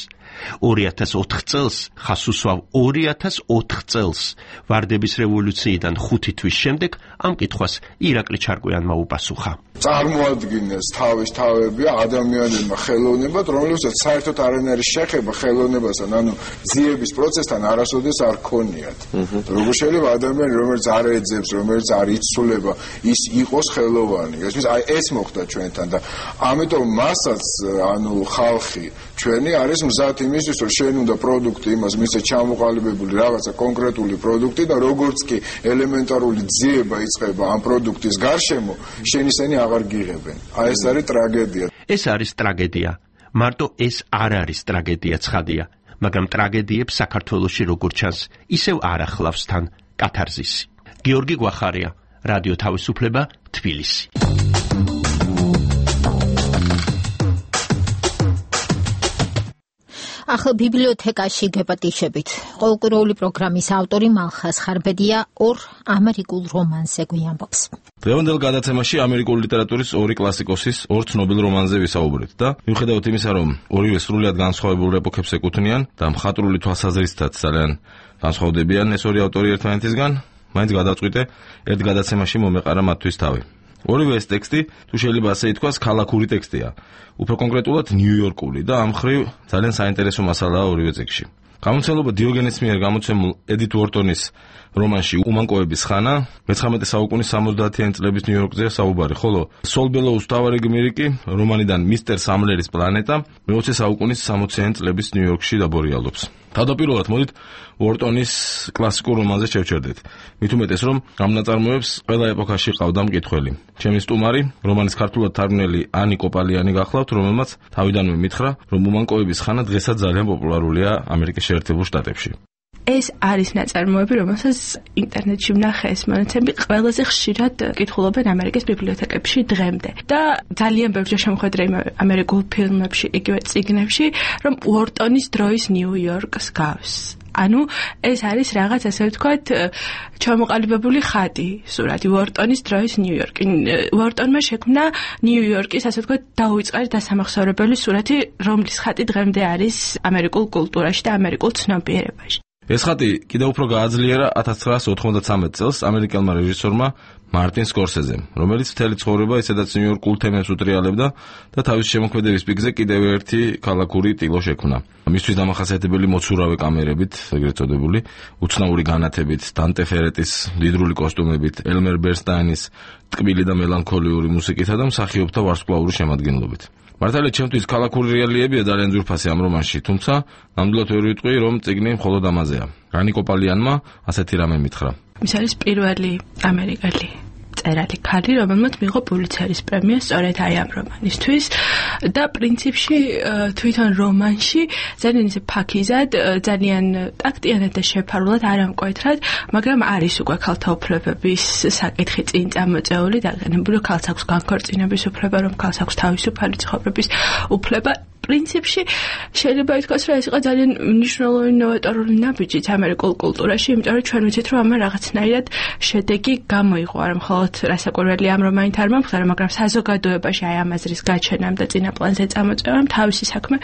Speaker 21: 2004 წელს, ხას უსვავ 2004 წელს, ვარდების რევოლუციიდან 5 თვის შემდეგ ამ კითხვას ირაკლი ჩარკვიანმა უპასუხა.
Speaker 4: წარმოადგენს თავის თავები ადამიანებმა ხელოვნებად, რომელსაც საერთოდ არანაირი შეხება ხელოვნებასთან, ანუ ძიების პროცესთან არასოდეს არ ქონიათ. როგორ შეიძლება ადამიანი, რომელიც არ ეძებს, რომელიც არ იცვლება, ის იყოს ხელოვანი. ეს მოხდა ჩვენთან და ამიტომ მასაც, ანუ ხალხი ჩვენი არის მზად იმისთვის, რომ შენ უნდა პროდუქტი იმას მისცე ჩამოყალიბებული რაღაცა კონკრეტული პროდუქტი და როგორც კი ელემენტარული ძიება იწყება ამ პროდუქტის გარშემო, შენ ისინი აღარ გიღებენ. ეს არის ტრაგედია.
Speaker 21: ეს არის ტრაგედია. მარტო ეს არ არის ტრაგედია ცხადია, მაგრამ ტრაგედიებს საქართველოში როგორც ჩანს, ისევ არ ახლავს თან კათარზისი. გიორგი გვახარია, რადიო თავისუფლება, თბილისი.
Speaker 1: ახლა ბიბლიოთეკაში გეპატიშებით. ყოველკვირეული პროგრამის ავტორი მალხას ხარბედია ორ ამერიკულ რომანზე გვიამბობს.
Speaker 9: დღევანდელ გადაცემაში ამერიკული ლიტერატურის ორი კლასიკოსის, ორ ცნობილ რომანზე ვისაუბრეთ და მიუხედავად იმისა, რომ ორივე სრულიად განსხვავებულ ეპოქებს ეკუთვნიან და მხატვრული თვალსაზრისითაც ძალიან განსხვავდებიან ეს ორი ავტორი ერთმანეთისგან, მაინც გადავწყვიტე ერთ გადაცემაში მომეყარა მათთვის თავი. ორივე ეს ტექსტი, თუ შეიძლება ასე ითქვას, ქალაქური ტექსტია. უფრო კონკრეტულად ნიუ-იორკული და ამ მხრივ ძალიან საინტერესო მასალაა ორივე ტექსტში. გამომცემლობა დიოგენეს მიერ გამოცემულ ედით უორტონის რომანში უმანკოების ხანა 19 საუკუნის 70-იანი წლების ნიუ-იორკზეა საუბარი, ხოლო სოლ ბელოუს თავარი გმირი კი რომანიდან მისტერ სამლერის პლანეტა 20 საუკუნის 60-იანი წლების ნიუ-იორკში დაბორიალობს. თავდაპირველად მოდით უორტონის კლასიკურ რომანზე შევჩერდეთ. მით უმეტეს, რომ ამ ნაწარმოებს ყველა ეპოქაში ყავდა მკითხველი. ჩემი სტუმარი, რომანის ქართულად თარგმნელი ანი კოპალიანი გახლავთ, რომელმაც თავიდანვე მითხრა, რომ უმანკოების ხანა დღესაც ძალიან პოპულარულია ამერიკის შეერთებულ შტატებში.
Speaker 5: ეს არის ნაწარმოები, რომელსაც ინტერნეტში ვნახე ეს მონაცემები ყველაზე ხშირად კითხულობენ ამერიკის ბიბლიოთეკებში დღემდე. და ძალიან ბევრჯერ შემოხვედრა ამერიკულ ფილმებში, იგივე წიგნებში, რომ უორტონის დროის ნიუ-იორკს გავს. ანუ ეს არის რაღაც ასე ვთქვათ ჩამოყალიბებული ხატი, სურათი უორტონის დროის ნიუ-იორკი. უორტონმა შექმნა ნიუ-იორკის ასე ვთქვათ დაუვიწყარი დასამახსოვრებელი სურათი, რომლის ხატი დღემდე არის ამერიკულ კულტურაში და ამერიკულ ცნობიერებაში.
Speaker 9: ეს ხატი კიდევ უფრო გააძლიერა 1993 წელს ამერიკელმა რეჟისორმა მარტინ სკორსეზემ, რომელიც მთელი ცხოვრება ისედაც ნიუ-იორკულ თემებს უტრიალებდა და თავის შემოქმედების პიკზე კიდევ ერთი ქალაქური ტილო შექმნა. მისთვის დამახასიათებელი მოცურავე კამერებით, ეგრეთ წოდებული, უცნაური განათებით, დანტე ფერეტის მდიდრული კოსტუმებით, ელმერ ბერსტაინის ტკბილი და მელანქოლიური მუსიკითა და მსახიობთა ვარსკვლავური შემადგენლობით. მართალია ჩემთვის ქალაქური რეალიებია ძალიან ძვირფასი ამ რომანში, თუმცა ნამდვილად ვერ ვიტყვი, რომ წიგნი მხოლოდ ამაზეა. რანი კოპალიანმა ასეთი რამე მითხრა.
Speaker 5: ის არის პირველი ამერიკელი მწერალი ქალი, რომელმაც მიიღო პულიცერის პრემია სწორედ აი ამ რომანისთვის და პრინციპში თვითონ რომანში ძალიან ისე ფაქიზად, ძალიან ტაქტიანად და შეფარულად არ ამკვეთრად, მაგრამ არის უკვე ქალთა უფლებების საკითხი წინ წამოწეული, დაგენებული ქალს აქვს განქორწინების უფლება, რომ ქალს აქვს თავისუფალი ცხოვრების უფლება. პრინციპში შეიძლება ითქვას, რომ ეს იყო ძალიან მნიშვნელოვანი ნოვატორული ნაბიჯი ამერიკულ კულტურაში, იმიტომ რომ ჩვენ ვიცით, რომ ამან რაღაცნაირად შედეგი გამოიღო, არა მხოლოდ რასაკვირველია ამ რომანით არ მომხდარა, მაგრამ საზოგადოებაში აი ამ აზრის გაჩენამ და წინაპლანზე წამოწევამ თავისი საქმე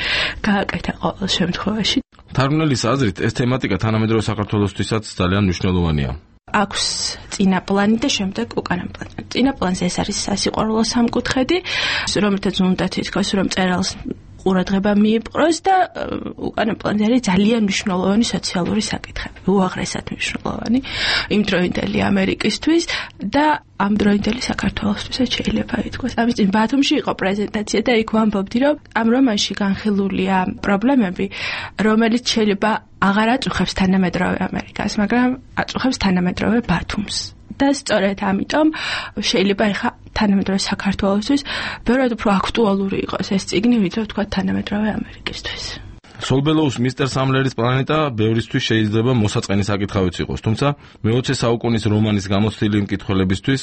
Speaker 5: გააკეთა ყოველ შემთხვევაში.
Speaker 9: თარგმნელის აზრით, ეს თემატიკა თანამედროვე საქართველოსთვისაც ძალიან მნიშვნელოვანია.
Speaker 5: აქვს წინაპლანი და შემდეგ უკანა პლანი. წინაპლანზე ეს არის სასიყვარულო სამკუთხედი, რომელთაც უნდა თითქოს რომ მწერალს ყურადღება მიიპყროს და უკანა პლანზე არის ძალიან მნიშვნელოვანი სოციალური საკითხები, უაღრესად მნიშვნელოვანი იმ დროინდელი ამერიკისთვის და ამ დროინდელი საქართველოსთვისაც შეიძლება ითქვას. ამის წინ ბათუმში იყო პრეზენტაცია და იქ ვამბობდი, რომ ამ რომანში განხილულია პრობლემები, რომელიც შეიძლება აღარ აწუხებს თანამედროვე ამერიკას, მაგრამ აწუხებს თანამედროვე ბათუმს. და სწორედ ამიტომ შეიძლება ეხა თანამედროვე საქართველოსთვის ბევრად უფრო აქტუალური იყოს ეს წიგნი, ვიდრე თქვა თანამედროვე ამერიკისთვის.
Speaker 9: სოლბელოუს მისტერ სამლერის პლანეტა ბევრისთვის შეიძლება მოსაწყენი საკითხავიც იყოს, თუმცა მე-20 საუკუნის რომანის გამოცდილი მკითხველებისთვის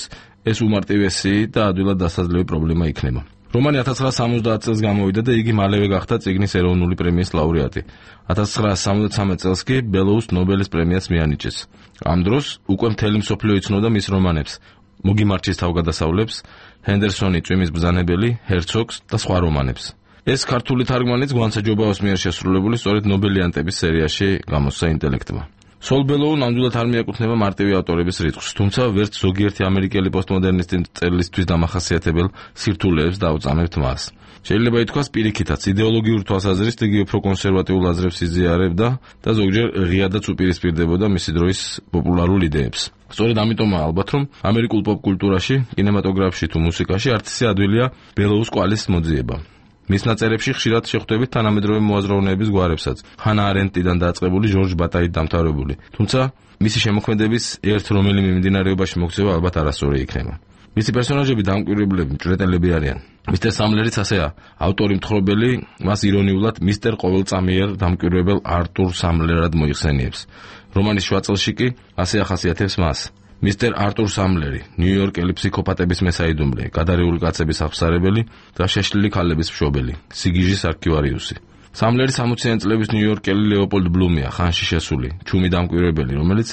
Speaker 9: ეს უმარტივესი და ადვილად დასაძლევი პრობლემა იქნება. რომანი 1970 წელს გამოვიდა და იგი მალევე გახდა წიგნის ეროვნული პრემიის ლაურეატი. 1973 წელს კი ბელოუს ნობელის პრემიას მიანიჭეს. ამ დროს უკვე მთელი მსოფლიო იცნობდა მის რომანებს, მოგი მარჩის თავგადასავლებს, ჰენდერსონი წვიმის ბრძანებელი, ჰერცოგს და სხვა რომანებს. ეს ქართული თარგმანიც გვანცა ჯობაოს მიერ შესრულებული სწორედ ნობელიანტების სერიაში გამოსცა ინტელექტმა. სოლბელოუ ნამდვილად არ მიეკუთვნება მარტივი ავტორების რიცხვს, თუმცა ვერც ზოგიერთი ამერიკელი პოსტმოდერნისტი მწერლისთვის დამახასიათებელ სირთულეებს დაუწამებთ მას. შეიძლება ითქვას პირიქითაც იდეოლოგიური თვალსაზრისით იგი უფრო კონსერვატიულ აზრებს იზიარებდა და ზოგჯერ ღიადაც უპირისპირდებოდა მისი დროის პოპულარულ იდეებს. სწორედ ამიტომაა ალბათ, რომ ამერიკულ პოპ კულტურაში, კინემატოგრაფში თუ მუსიკაში არცისი ადვილია ბელოუს კვალის მოძიება. მის ნაწერებში ხშირად შეხვდებით თანამედროვე მოაზროვნეების გვარებსაც, ჰანა არენდტიდან დაწყებული ჟორჟ ბატაით დამთავრებული. თუმცა მისი შემოქმედების ერთ რომელიმე მიმდინარეობაში მოქცევა ალბათ არასწორი იქნება. მისი პერსონაჟები დამკვირვებლები, მჭვრეტელები არიან. მისტერ სამლერიც ასეა, ავტორი მთხრობელი მას ირონიულად მისტერ ყოველწამიერ დამკვირვებელ არტურ სამლერად მოიხსენიებს. რომანის შუა წელში კი ასე ახასიათებს მას. მისტერ არტურ სამლერი, ნიუ-იორკელი ფსიქოპატების მესაიდუმლე, გადარეული კაცების აღსარებელი და შეშლილი ქალების მშობელი, სიგიჟის არქივარიუსი. სამლერი 60-იან წლების ნიუ-იორკელი ლეოპოლდ ბლუმია, ხანში შესული, ჩუმი დამკვირვებელი, რომელიც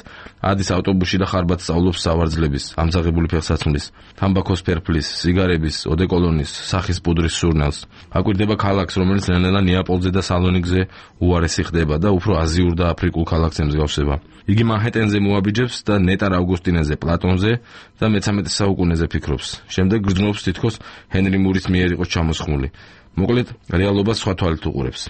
Speaker 9: ადის ავტობუსში და ხარბად სწავლობს სავარძლების, ამძაღებული ფეხსაცმლის, თამბაქოს ფერფლის, სიგარების, ოდეკოლონის, სახის პუდრის სურნელს. აკვირდება ქალაქს, რომელიც ნელ-ნელა ნეაპოლზე და სალონიკზე უარესი ხდება და უფრო აზიურ და აფრიკულ ქალაქს ემსგავსება. იგი მანჰეტენზე მოაბიჯებს და ნეტარ ავგუსტინეზე, პლატონზე და მე-13 საუკუნეზე ფიქრობს. შემდეგ გრძნობს თითქოს ჰენრი მურის მიერ იყოს ჩამოსხმული. მოკლედ, რეალობას სხვა თვალით უყურებს.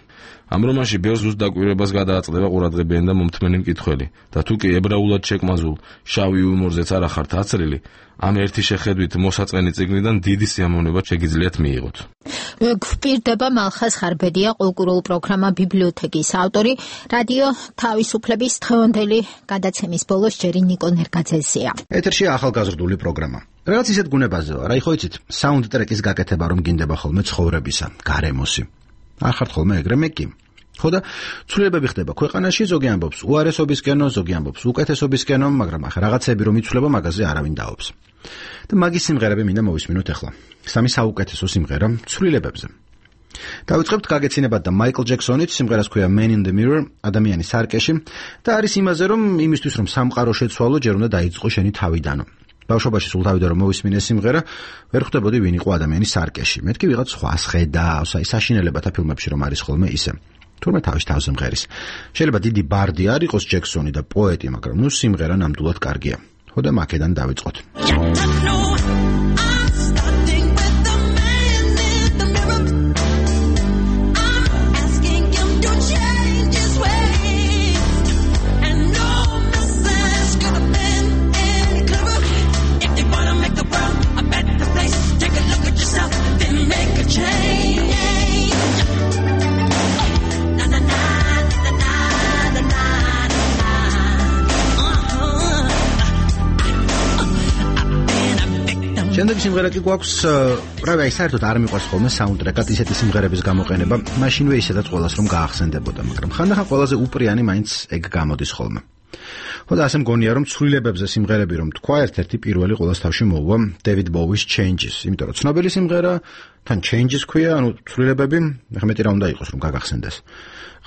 Speaker 9: ამ რომანში ბევრ ზუსტ დაკვირვებას გადააწყდება ყურადღებიანი და მომთმენი მკითხველი და თუ კი ებრაულად შეკმაზულ შავი იუმორზეც არ ახართ აცრილი, ამ ერთი შეხედვით მოსაწყენი წიგნიდან დიდი სიამოვნება შეგიძლიათ მიიღოთ.
Speaker 1: გვპირდება მალხაზ ხარბედია, კულტურულ პროგრამა ბიბლიოთეკის ავტორი, რადიო თავისუფლების დღევანდელი გადაცემის ბოლოს ჯერი ნიკო ნერგაძეზეა.
Speaker 11: ეთერშია ახალგაზრდული პროგრამა. რაღაც ისეთ გუნებაზეა, რა იხო იცით, საუნდტრეკის გაკეთება რომ გინდება ხოლმე ცხოვრებისა, გარემოსი. არ ხართ ხოლმე ეგრე მე კი. ხო და ცვლილებები ხდება ქვეყანაში, ზოგი ამბობს უარესობისკენო, ზოგი ამბობს უკეთესობისკენო, მაგრამ ახლა რაღაცები რომ იცვლება მაგაზე არავინ დაობს. და მაგის სიმღერები მინდა მოვისმინოთ ახლა. სამი საუკეთესო სიმღერა ცვლილებებზე. დავიწყებთ გაგეცინებათ და მაიკლ ჯექსონით, სიმღერას ქვია Man in the Mirror, ადამიანის სარკეში და არის იმაზე რომ იმისთვის რომ სამყარო შეცვალო, ჯერ უნდა დაიწყო შენი თავიდანო. ბავშვობაში სულ თავიდან რომ მოვისმინე სიმღერა, ვერ ხვდებოდი ვინ იყო ადამიანის სარკეში. მეთქი ვიღაც სხვას ხედავს, აი საშინელებათა ფილმებში რომ არის ხოლმე ისე. თურმე თავის მღერის. შეიძლება დიდი ბარდი არ იყოს ჯექსონი და პოეტი, მაგრამ ნუ სიმღერა ნამდვილად კარგია. ხო და მაქედან დავიწყოთ. შემდეგ სიმღერა კი გვაქვს, რავი, აი საერთოდ არ მიყვარს ხოლმე საუნდტრეკად ისეთი სიმღერების გამოყენება, მაშინვე ისედაც ყველას რომ გაახსენდებოდა, მაგრამ ხანდახან ყველაზე უპრიანი მაინც ეგ გამოდის ხოლმე. ხო და ასე მგონია რომ ცვლილებებზე სიმღერები რომ თქვა, ერთ-ერთი პირველი ყველას თავში მოუვა David Bowie's Changes, იმიტომ რომ ცნობილი სიმღერა თან Changes ქვია, ანუ ცვლილებები, მეტი რა უნდა იყოს რომ გაგახსენდეს.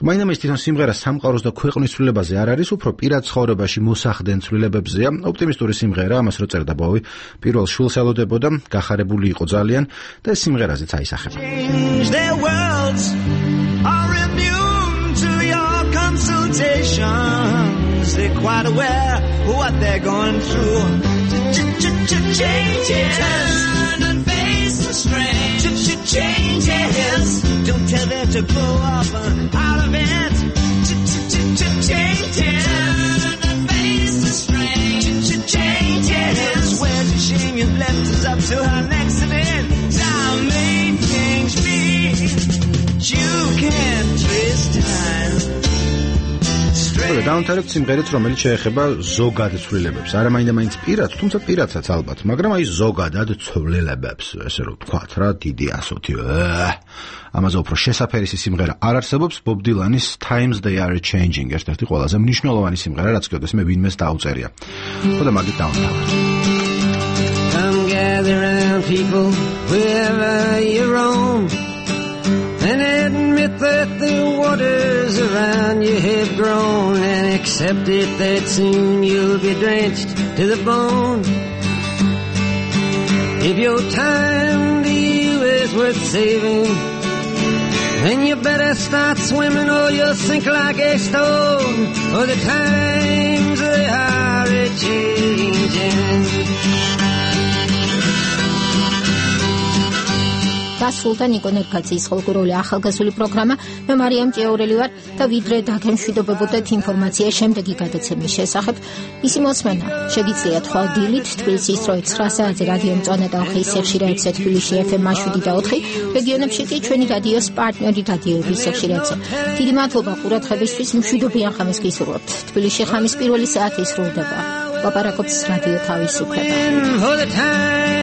Speaker 11: მაინდა ის თვითონ სიმღერა სამყაროს და ქვეყნის ცვლილებაზე არ არის, უფრო პირად ცხოვრებაში მოსახდენ ცვლილებებზეა. ოპტიმისტური სიმღერა, ამას რო წერდა ბოვი, პირველ შულს ელოდებოდა, გახარებული იყო ძალიან და ეს სიმღერაზეც აისახება.
Speaker 3: Their worlds are immune to your consultations. They're quite aware of what they're going through. Changes. Turn and face the strange. Changes. Don't tell them to blow up out of it. Changes. Turn and face the strange. Changes. Where's the shame you've left us up to our next event? Time may change me. You can't trace time.
Speaker 11: დავამთავრებთ სიმღერით, რომელიც შეეხება ზოგად ცვლილებებს. არა მაინდა-მაინც პირად, თუმცა პირადსაც ალბათ, მაგრამ აი ზოგადად ცვლილებებს, ესე რომ ვთქვათ რა, დიდი ასოთი. ამაზე უფრო შესაფერისი სიმღერა არ არსებობს, Bob Dylan-ის Times They Are Changing, ერთ-ერთი ყველაზე მნიშვნელოვანი სიმღერა, რაც კიდევ ვინმეს დაუწერია. ხოდა მაგით დავამთავრებთ.
Speaker 7: Come gather round people wherever you roam and admit that the waters around you have grown and accept it that soon you'll be drenched to the bone. If your time to you is worth saving, then you better start swimming or you'll sink like a stone, for the times they are a-changing.
Speaker 1: დასრულდა ნიკო ნერგაძის ხოლმე ახალგაზრდული პროგრამა. მე მარიამ ჭიაურელი ვარ და ვიდრე დაგემშვიდობებოდეთ ინფორმაცია შემდეგი გადაცემის შესახებ. მისი მოსმენა შეგიძლიათ ხვალ დილით თბილისის დროით 9 საათზე რადიო მწვანე და ხის ეხშირა 1 თბილისში FM 7 და 4, რეგიონებში კი ჩვენი რადიოს პარტნიორი რადიოების ეხშირაებზე. დიდი მადლობა ყურადღებისთვის, მშვიდობიან ხამის გისურვებთ. თბილისში ხამის პირველი საათი სრულდება. ლაპარაკობს რადიო თავისუფლება.